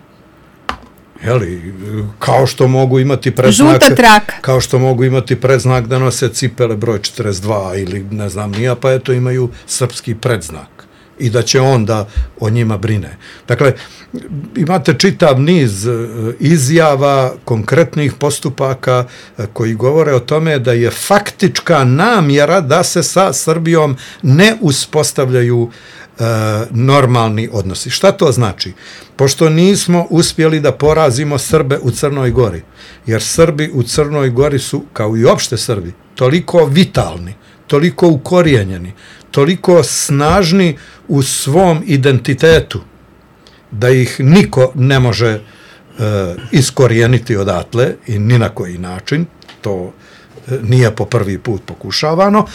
Speaker 5: Kao što mogu imati predznak,
Speaker 3: žuta traka,
Speaker 5: kao što mogu imati predznak da nose cipele broj 42 ili ne znam nija, pa eto imaju srpski predznak i da će on da o njima brine. Dakle, imate čitav niz izjava, konkretnih postupaka koji govore o tome da je faktička namjera da se sa Srbijom ne uspostavljaju normalni odnosi. Šta to znači? Pošto nismo uspjeli da porazimo Srbe u Crnoj Gori, jer Srbi u Crnoj Gori su, kao i opšte Srbi, toliko vitalni, toliko ukorijenjeni, toliko snažni u svom identitetu, da ih niko ne može iskorijeniti odatle i ni na koji način, to nije po prvi put pokušavano.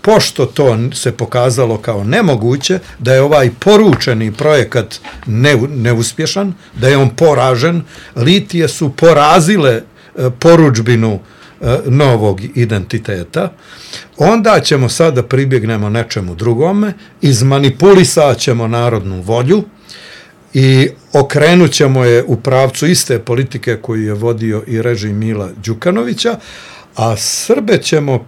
Speaker 5: Pošto to se pokazalo kao nemoguće, da je ovaj poručeni projekat neuspješan, da je on poražen, litije su porazile poručbinu novog identiteta, onda ćemo sad da pribjegnemo nečemu drugome, izmanipulisat ćemo narodnu volju i okrenut ćemo je u pravcu iste politike koju je vodio i režim Mila Đukanovića, a Srbe ćemo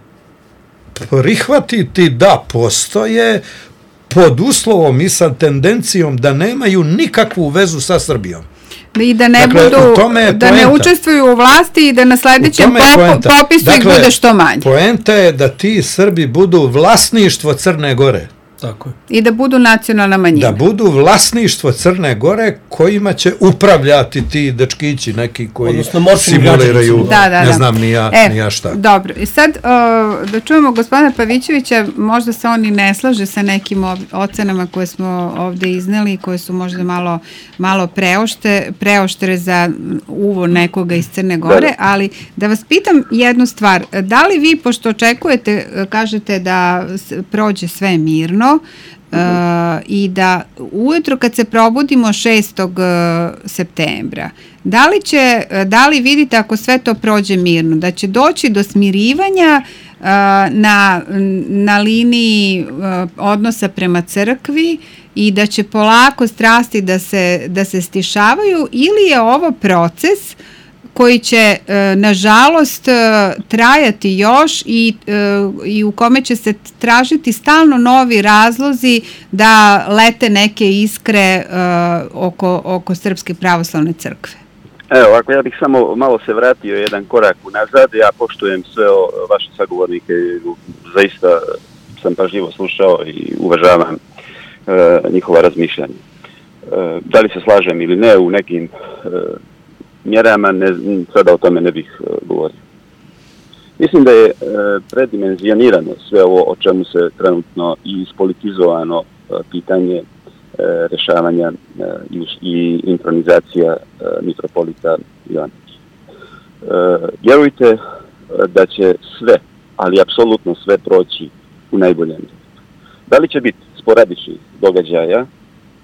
Speaker 5: prihvatiti da postoje pod uslovom i sa tendencijom da nemaju nikakvu vezu sa Srbijom.
Speaker 3: I da ne budu, da ne učestvuju u vlasti i da na sledećem popisu ih bude što manje.
Speaker 5: Poenta je da ti Srbi budu vlasništvo Crne Gore.
Speaker 4: Tako je.
Speaker 3: I da budu nacionalna manjina.
Speaker 5: Da budu vlasništvo Crne Gore kojima će upravljati ti dečkići neki koji simuliraju, ne znam ni ja šta.
Speaker 3: Dobro, i sad da čujemo gospodina Pavićevića, možda se on i ne slaže sa nekim ocenama koje smo ovde izneli, koje su možda malo preoštre za uvo nekoga iz Crne Gore, ali da vas pitam jednu stvar, da li vi, pošto očekujete, kažete da prođe sve mirno, i da ujutro kad se probudimo 6. septembra, da li vidite ako sve to prođe mirno, da će doći do smirivanja na liniji odnosa prema crkvi i da će polako strasti da se stišavaju, ili je ovo proces koji će, nažalost, trajati još i u kome će se tražiti stalno novi razlozi da lete neke iskre oko Srpske pravoslavne crkve?
Speaker 6: Evo, ako ja bih samo malo se vratio jedan korak unazad, ja poštujem sve vaše sagovornike, zaista sam pažljivo slušao i uvažavam njihova razmišljanja. Da li se slažem ili ne u nekim mjerama, sada o tome ne bih govorio. Mislim da je predimenzionirano sve ovo o čemu se trenutno i ispolitizovano pitanje rešavanja i intronizacija mitropolita Ivanovića. Vjerujte da će sve, ali apsolutno sve proći u najboljem. Da li će biti sporadičnih događaja,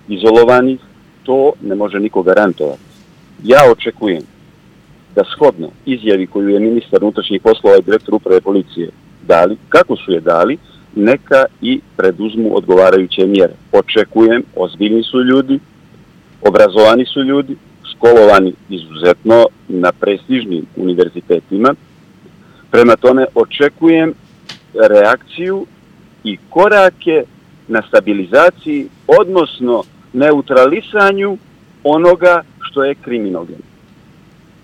Speaker 6: izolovanih, to ne može niko garantovati. Ja očekujem da shodno izjavi koju je ministar unutrašnjih poslova i direktor uprave policije dali, kako su je dali, neka i preduzmu odgovarajuće mjere. Očekujem, ozbiljni su ljudi, obrazovani su ljudi, školovani izuzetno na prestižnim univerzitetima. Prema tome očekujem reakciju i korake na stabilizaciji, odnosno neutralisanju onoga što je kriminogeno.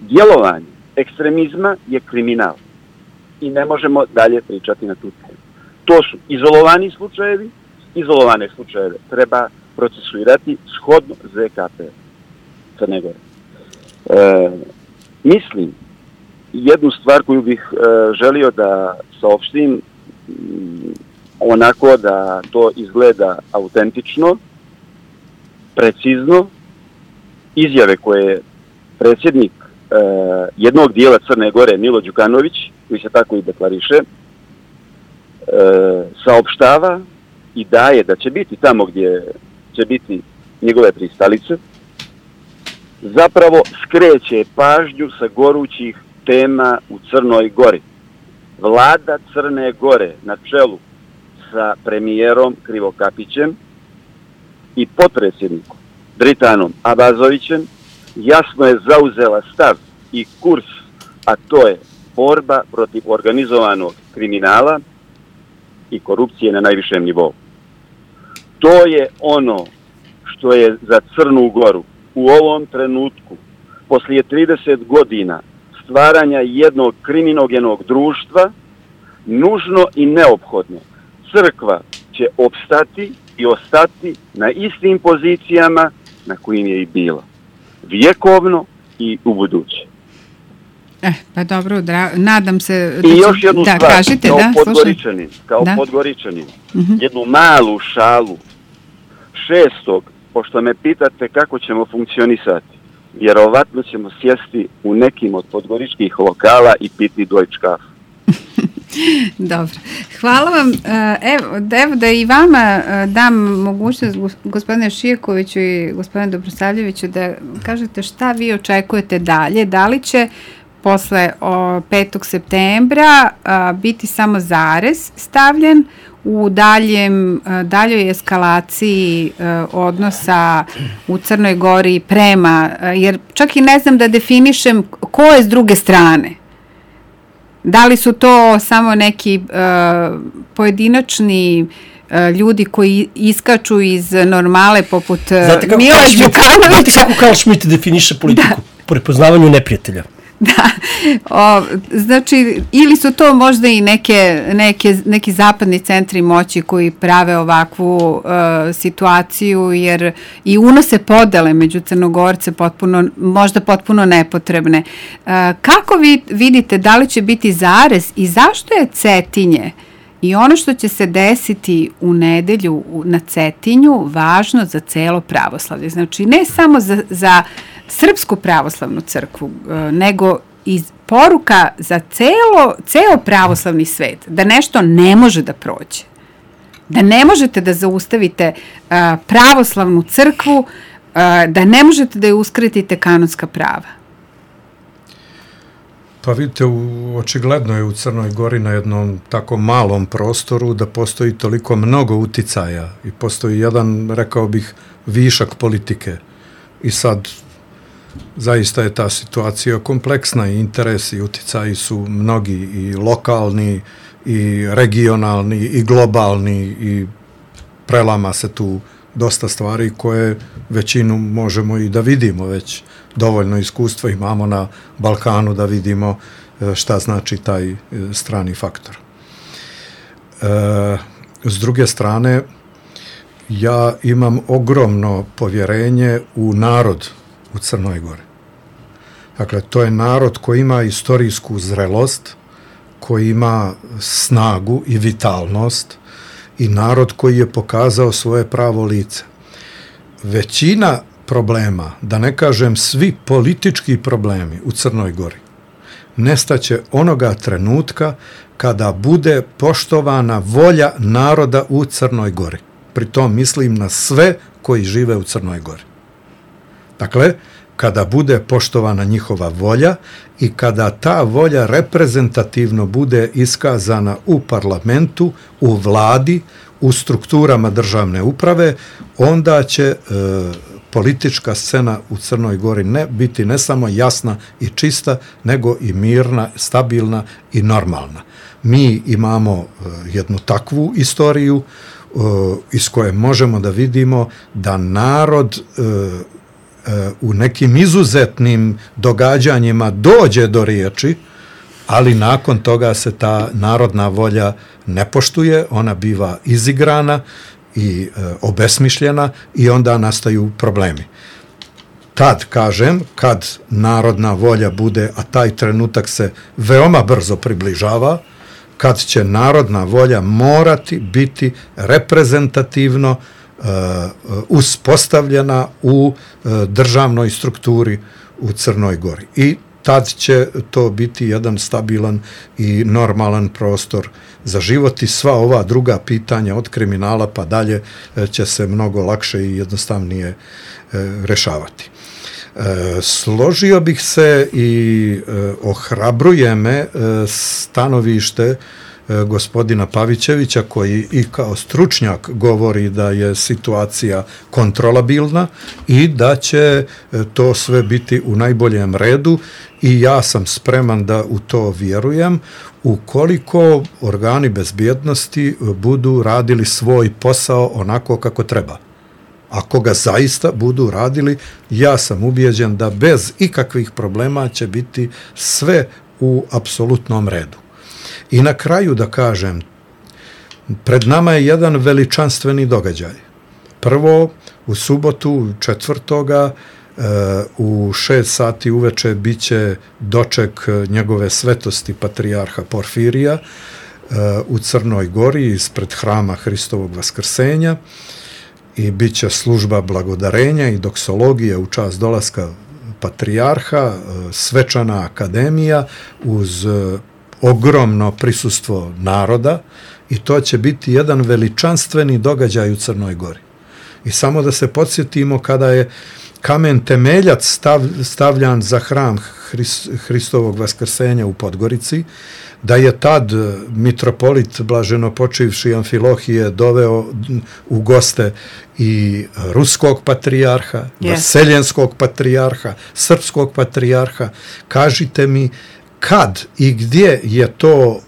Speaker 6: Djelovanje ekstremizma je kriminal i ne možemo dalje pričati na tu temu. To su izolovani slučajevi, izolovane slučajeve treba procesuirati shodno ZKP Crne Gore. Mislim, jednu stvar koju bih želio da saopštim, onako da to izgleda autentično, precizno, izjave koje je predsjednik jednog dijela Crne Gore, Milo Đukanović, koji se tako i deklariše, saopštava i daje da će biti tamo gdje će biti njegove pristalice, zapravo skreće pažnju sa gorućih tema u Crnoj Gori. Vlada Crne Gore na čelu sa premijerom Krivokapićem i potpredsjednikom Dritanom Abazovićem jasno je zauzela stav i kurs, a to je borba protiv organizovanog kriminala i korupcije na najvišem nivou. To je ono što je za Crnu Goru u ovom trenutku, poslije 30 godina stvaranja jednog kriminogenog društva, nužno i neophodno. Crkva će opstati i ostati na istim pozicijama na kojim je i bila. Vjekovno i u buduće.
Speaker 3: Pa dobro, nadam se...
Speaker 6: I još jednu stvar, kao Podgoričanin, jednu malu šalu. 6. pošto me pitate kako ćemo funkcionisati, vjerovatno ćemo sjesti u nekim od podgoričkih lokala i piti Deutsche Kaffee.
Speaker 3: Dobro. Hvala vam. Evo da i vama dam mogućnost, gospodine Šijakoviću i gospodine Dobrosavljeviću, da kažete šta vi očekujete dalje. Da li će posle 5. septembra biti samo zarez stavljen u daljoj eskalaciji odnosa u Crnoj Gori prema, jer čak i ne znam da definišem ko je s druge strane. Da li su to samo neki pojedinačni ljudi koji iskaču iz normale poput Mila Đukanovića.
Speaker 4: Znate kako Karl Schmitt definiše politiku? Po prepoznavanju neprijatelja.
Speaker 3: Da, znači, ili su to možda i neki zapadni centri moći koji prave ovakvu situaciju, jer i unose podele među Crnogorce možda potpuno nepotrebne. Kako vi vidite, da li će biti zarez i zašto je Cetinje i ono što će se desiti u nedelju na Cetinju važno za celo pravoslavlje? Znači, ne samo za Srpsku pravoslavnu crkvu, nego i poruka za ceo pravoslavni svet, da nešto ne može da prođe. Da ne možete da zaustavite pravoslavnu crkvu, da ne možete da je uskratite kanonska prava.
Speaker 5: Pa vidite, očigledno je u Crnoj Gori na jednom tako malom prostoru da postoji toliko mnogo uticaja i postoji jedan, rekao bih, višak politike. I sad zaista je ta situacija kompleksna i interesi i uticaji su mnogi i lokalni i regionalni i globalni i prelama se tu dosta stvari koje većinu možemo i da vidimo, već dovoljno iskustva imamo na Balkanu da vidimo šta znači taj strani faktor. S druge strane, ja imam ogromno povjerenje u narod u Crnoj Gori. Dakle, to je narod koji ima istorijsku zrelost, koji ima snagu i vitalnost i narod koji je pokazao svoje pravo lice. Većina problema, da ne kažem svi politički problemi u Crnoj Gori, nestaće onoga trenutka kada bude poštovana volja naroda u Crnoj Gori. Pritom mislim na sve koji žive u Crnoj Gori. Dakle, kada bude poštovana njihova volja i kada ta volja reprezentativno bude iskazana u parlamentu, u vladi, u strukturama državne uprave, onda će politička scena u Crnoj Gori biti ne samo jasna i čista, nego i mirna, stabilna i normalna. Mi imamo jednu takvu istoriju iz koje možemo da vidimo da narod u nekim izuzetnim događanjima dođe do riječi, ali nakon toga se ta narodna volja ne poštuje, ona biva izigrana i obesmišljena i onda nastaju problemi. Tad, kažem, kad narodna volja bude, a taj trenutak se veoma brzo približava, kad će narodna volja morati biti reprezentativno uspostavljena u državnoj strukturi u Crnoj Gori. I tad će to biti jedan stabilan i normalan prostor za život i sva ova druga pitanja od kriminala pa dalje će se mnogo lakše i jednostavnije rešavati. Složio bih se i ohrabruje me stanovište gospodina Pavićevića, koji i kao stručnjak govori da je situacija kontrolabilna i da će to sve biti u najboljem redu i ja sam spreman da u to vjerujem ukoliko organi bezbjednosti budu radili svoj posao onako kako treba. Ako ga zaista budu radili, ja sam ubijeđen da bez ikakvih problema će biti sve u apsolutnom redu. I na kraju da kažem, pred nama je jedan veličanstveni događaj. Prvo, u subotu 4. u 6 sati uveče biće doček njegove svetosti patrijarha Porfirija u Crnoj Gori ispred hrama Hristovog Vaskrsenja i bit će služba blagodarenja i doksologije u čast dolaska patrijarha, svečana akademija uz ogromno prisustvo naroda i to će biti jedan veličanstveni događaj u Crnoj Gori. I samo da se podsjetimo kada je kamen temeljac stavljan za hram Hristovog Vaskrsenja u Podgorici, da je tad mitropolit blaženopočivši Amfilohije doveo u goste i ruskog patrijarha, vaseljenskog patrijarha, srpskog patrijarha. Kažite mi kad i gdje je to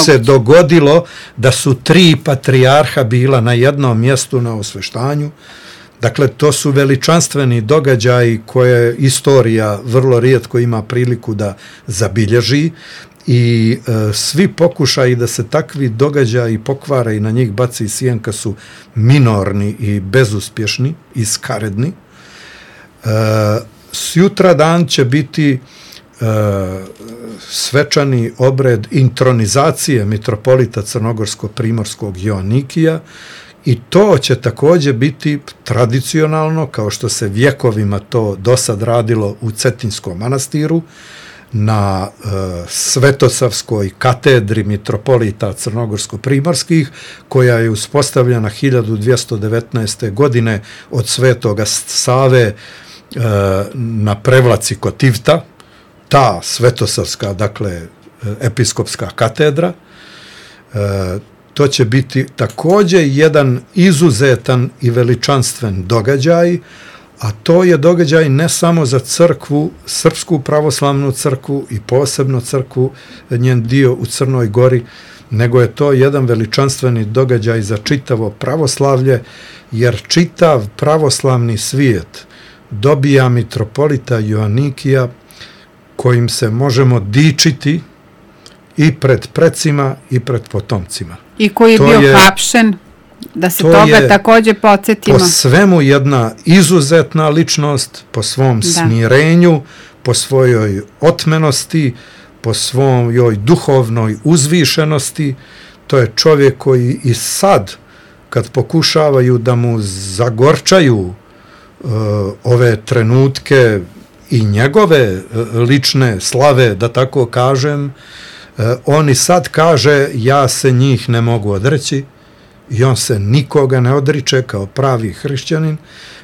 Speaker 5: se dogodilo da su 3 patrijarha bila na jednom mjestu na osveštanju. Dakle, to su veličanstveni događaji koje istorija vrlo rijetko ima priliku da zabilježi i svi pokušaji da se takvi događaji pokvare i na njih baci sjenka su minorni i bezuspješni i skaredni. Sutra dan će biti svečani obred intronizacije mitropolita crnogorsko-primorskog Joanikija i to će također biti tradicionalno, kao što se vjekovima to dosad radilo u Cetinjskom manastiru, na Svetosavskoj katedri mitropolita crnogorsko-primorskih, koja je uspostavljena 1219. godine od Svetoga Save na prevlaci kod Tivta, ta Svetosavska, dakle, episkopska katedra. To će biti također jedan izuzetan i veličanstven događaj, a to je događaj ne samo za crkvu, Srpsku pravoslavnu crkvu i posebno crkvu, njen dio u Crnoj Gori, nego je to jedan veličanstveni događaj za čitavo pravoslavlje, jer čitav pravoslavni svijet dobija mitropolita Joanikija kojim se možemo dičiti i pred precima i pred potomcima.
Speaker 3: I koji je bio hapšen, da se toga također podsjetimo.
Speaker 5: Po svemu jedna izuzetna ličnost, po svom smirenju, po svojoj otmenosti, po svojoj duhovnoj uzvišenosti. To je čovjek koji i sad, kad pokušavaju da mu zagorčaju ove trenutke i njegove lične slave, da tako kažem, on i sad kaže, ja se njih ne mogu odreći, i on se nikoga ne odriče kao pravi hrišćanin,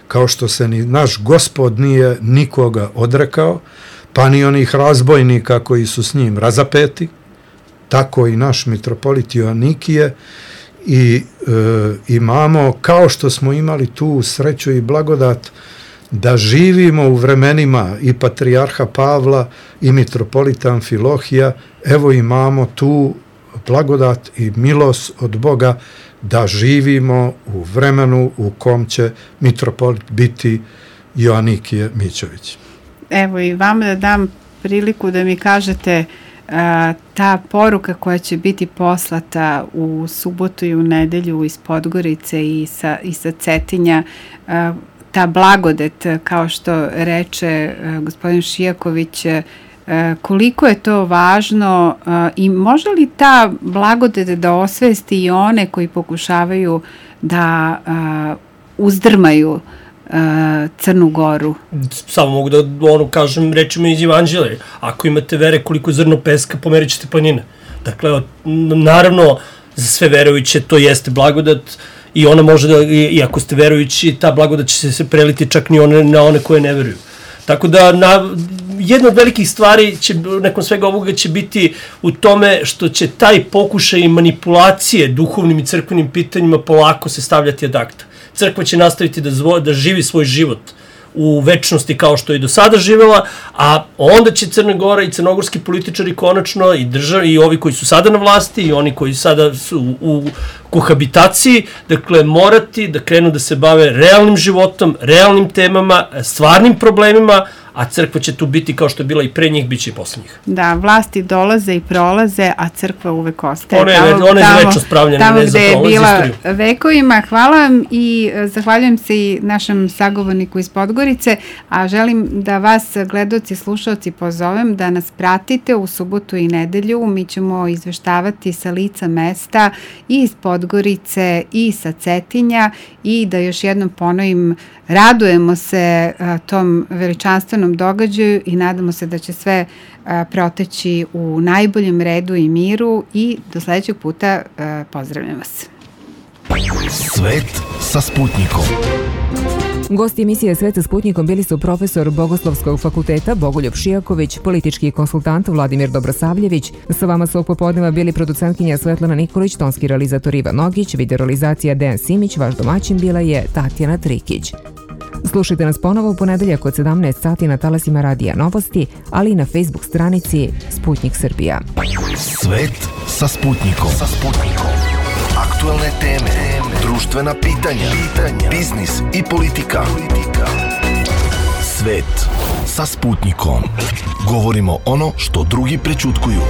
Speaker 5: kao što se ni naš Gospod nije nikoga odrekao, pa ni onih razbojnika koji su s njim razapeti, tako i naš mitropolit Joanikije. I imamo, kao što smo imali tu sreću i blagodat da živimo u vremenima i patrijarha Pavla i mitropolita Amfilohija, evo imamo tu blagodat i milost od Boga da živimo u vremenu u kom će mitropolit biti Joanikije Mićović.
Speaker 3: Evo i vam da dam priliku da mi kažete ta poruka koja će biti poslata u subotu i u nedelju iz Podgorice i sa Cetinja, ta blagodet, kao što reče gospodin Šijaković, koliko je to važno i može li ta blagodet da osvesti i one koji pokušavaju da uzdrmaju Crnu Goru?
Speaker 4: Samo mogu da kažem rečima iz Evanđelja. Ako imate vere koliko zrno peska, pomerit ćete planine. Dakle, naravno, za sve verujuće to jeste blagodat i ona može da, i ako ste verujući, ta blagodat će se preliti čak ni na one koje ne veruju. Tako da, jedna od velikih stvari nakon svega ovoga će biti u tome što će taj pokušaj manipulacije duhovnim i crkvenim pitanjima polako se stavljati ad acta. Crkva će nastaviti da živi svoj život u večnosti kao što je do sada živela, a onda će Crna Gora i crnogorski političari konačno i ovi koji su sada na vlasti i oni koji sada su u kohabitaciji, dakle morati da krenu da se bave realnim životom, realnim temama, stvarnim problemima, a crkva će tu biti kao što je bila i pre njih, bit će i posle njih.
Speaker 3: Da, vlasti dolaze i prolaze, a crkva uvek ostaje.
Speaker 4: Ona je večno spravljena,
Speaker 3: tamo gde je bila vekovima. Hvala vam i zahvaljujem se i našem sagovorniku iz Podgorice, a želim da vas, gledaoci i slušaoci, pozovem da nas pratite u subotu i nedelju. Mi ćemo izveštavati sa lica mesta i iz Podgorice i sa Cetinja i da još jednom ponovim, radujemo se tom veličanstvenom događaju i nadamo se da će sve proteći u najboljem redu i miru i do sledećeg puta pozdravljam vas.
Speaker 1: Svet sa Sputnikom.
Speaker 2: Gosti emisije Svet sa Sputnikom bili su profesor Bogoslovskog fakulteta Bogoljub Šijaković, politički konsultant Vladimir Dobrosavljević. Sa vama su ovog popodneva bili producentkinja Svetlana Nikolić, tonski realizator Ivan Nogić, videorealizacija Dejan Simić, vaš domaćin bila je Tatjana Trikić. Slušajte nas ponovo u ponedeljak od 17 sati na talasima Radija Novosti, ali i na Facebook stranici Sputnik Srbija.
Speaker 1: Svet sa Sputnikom. Aktuelne teme, društvena pitanja, biznis i politika. Svet sa Sputnikom. Govorimo ono što drugi prećutkuju.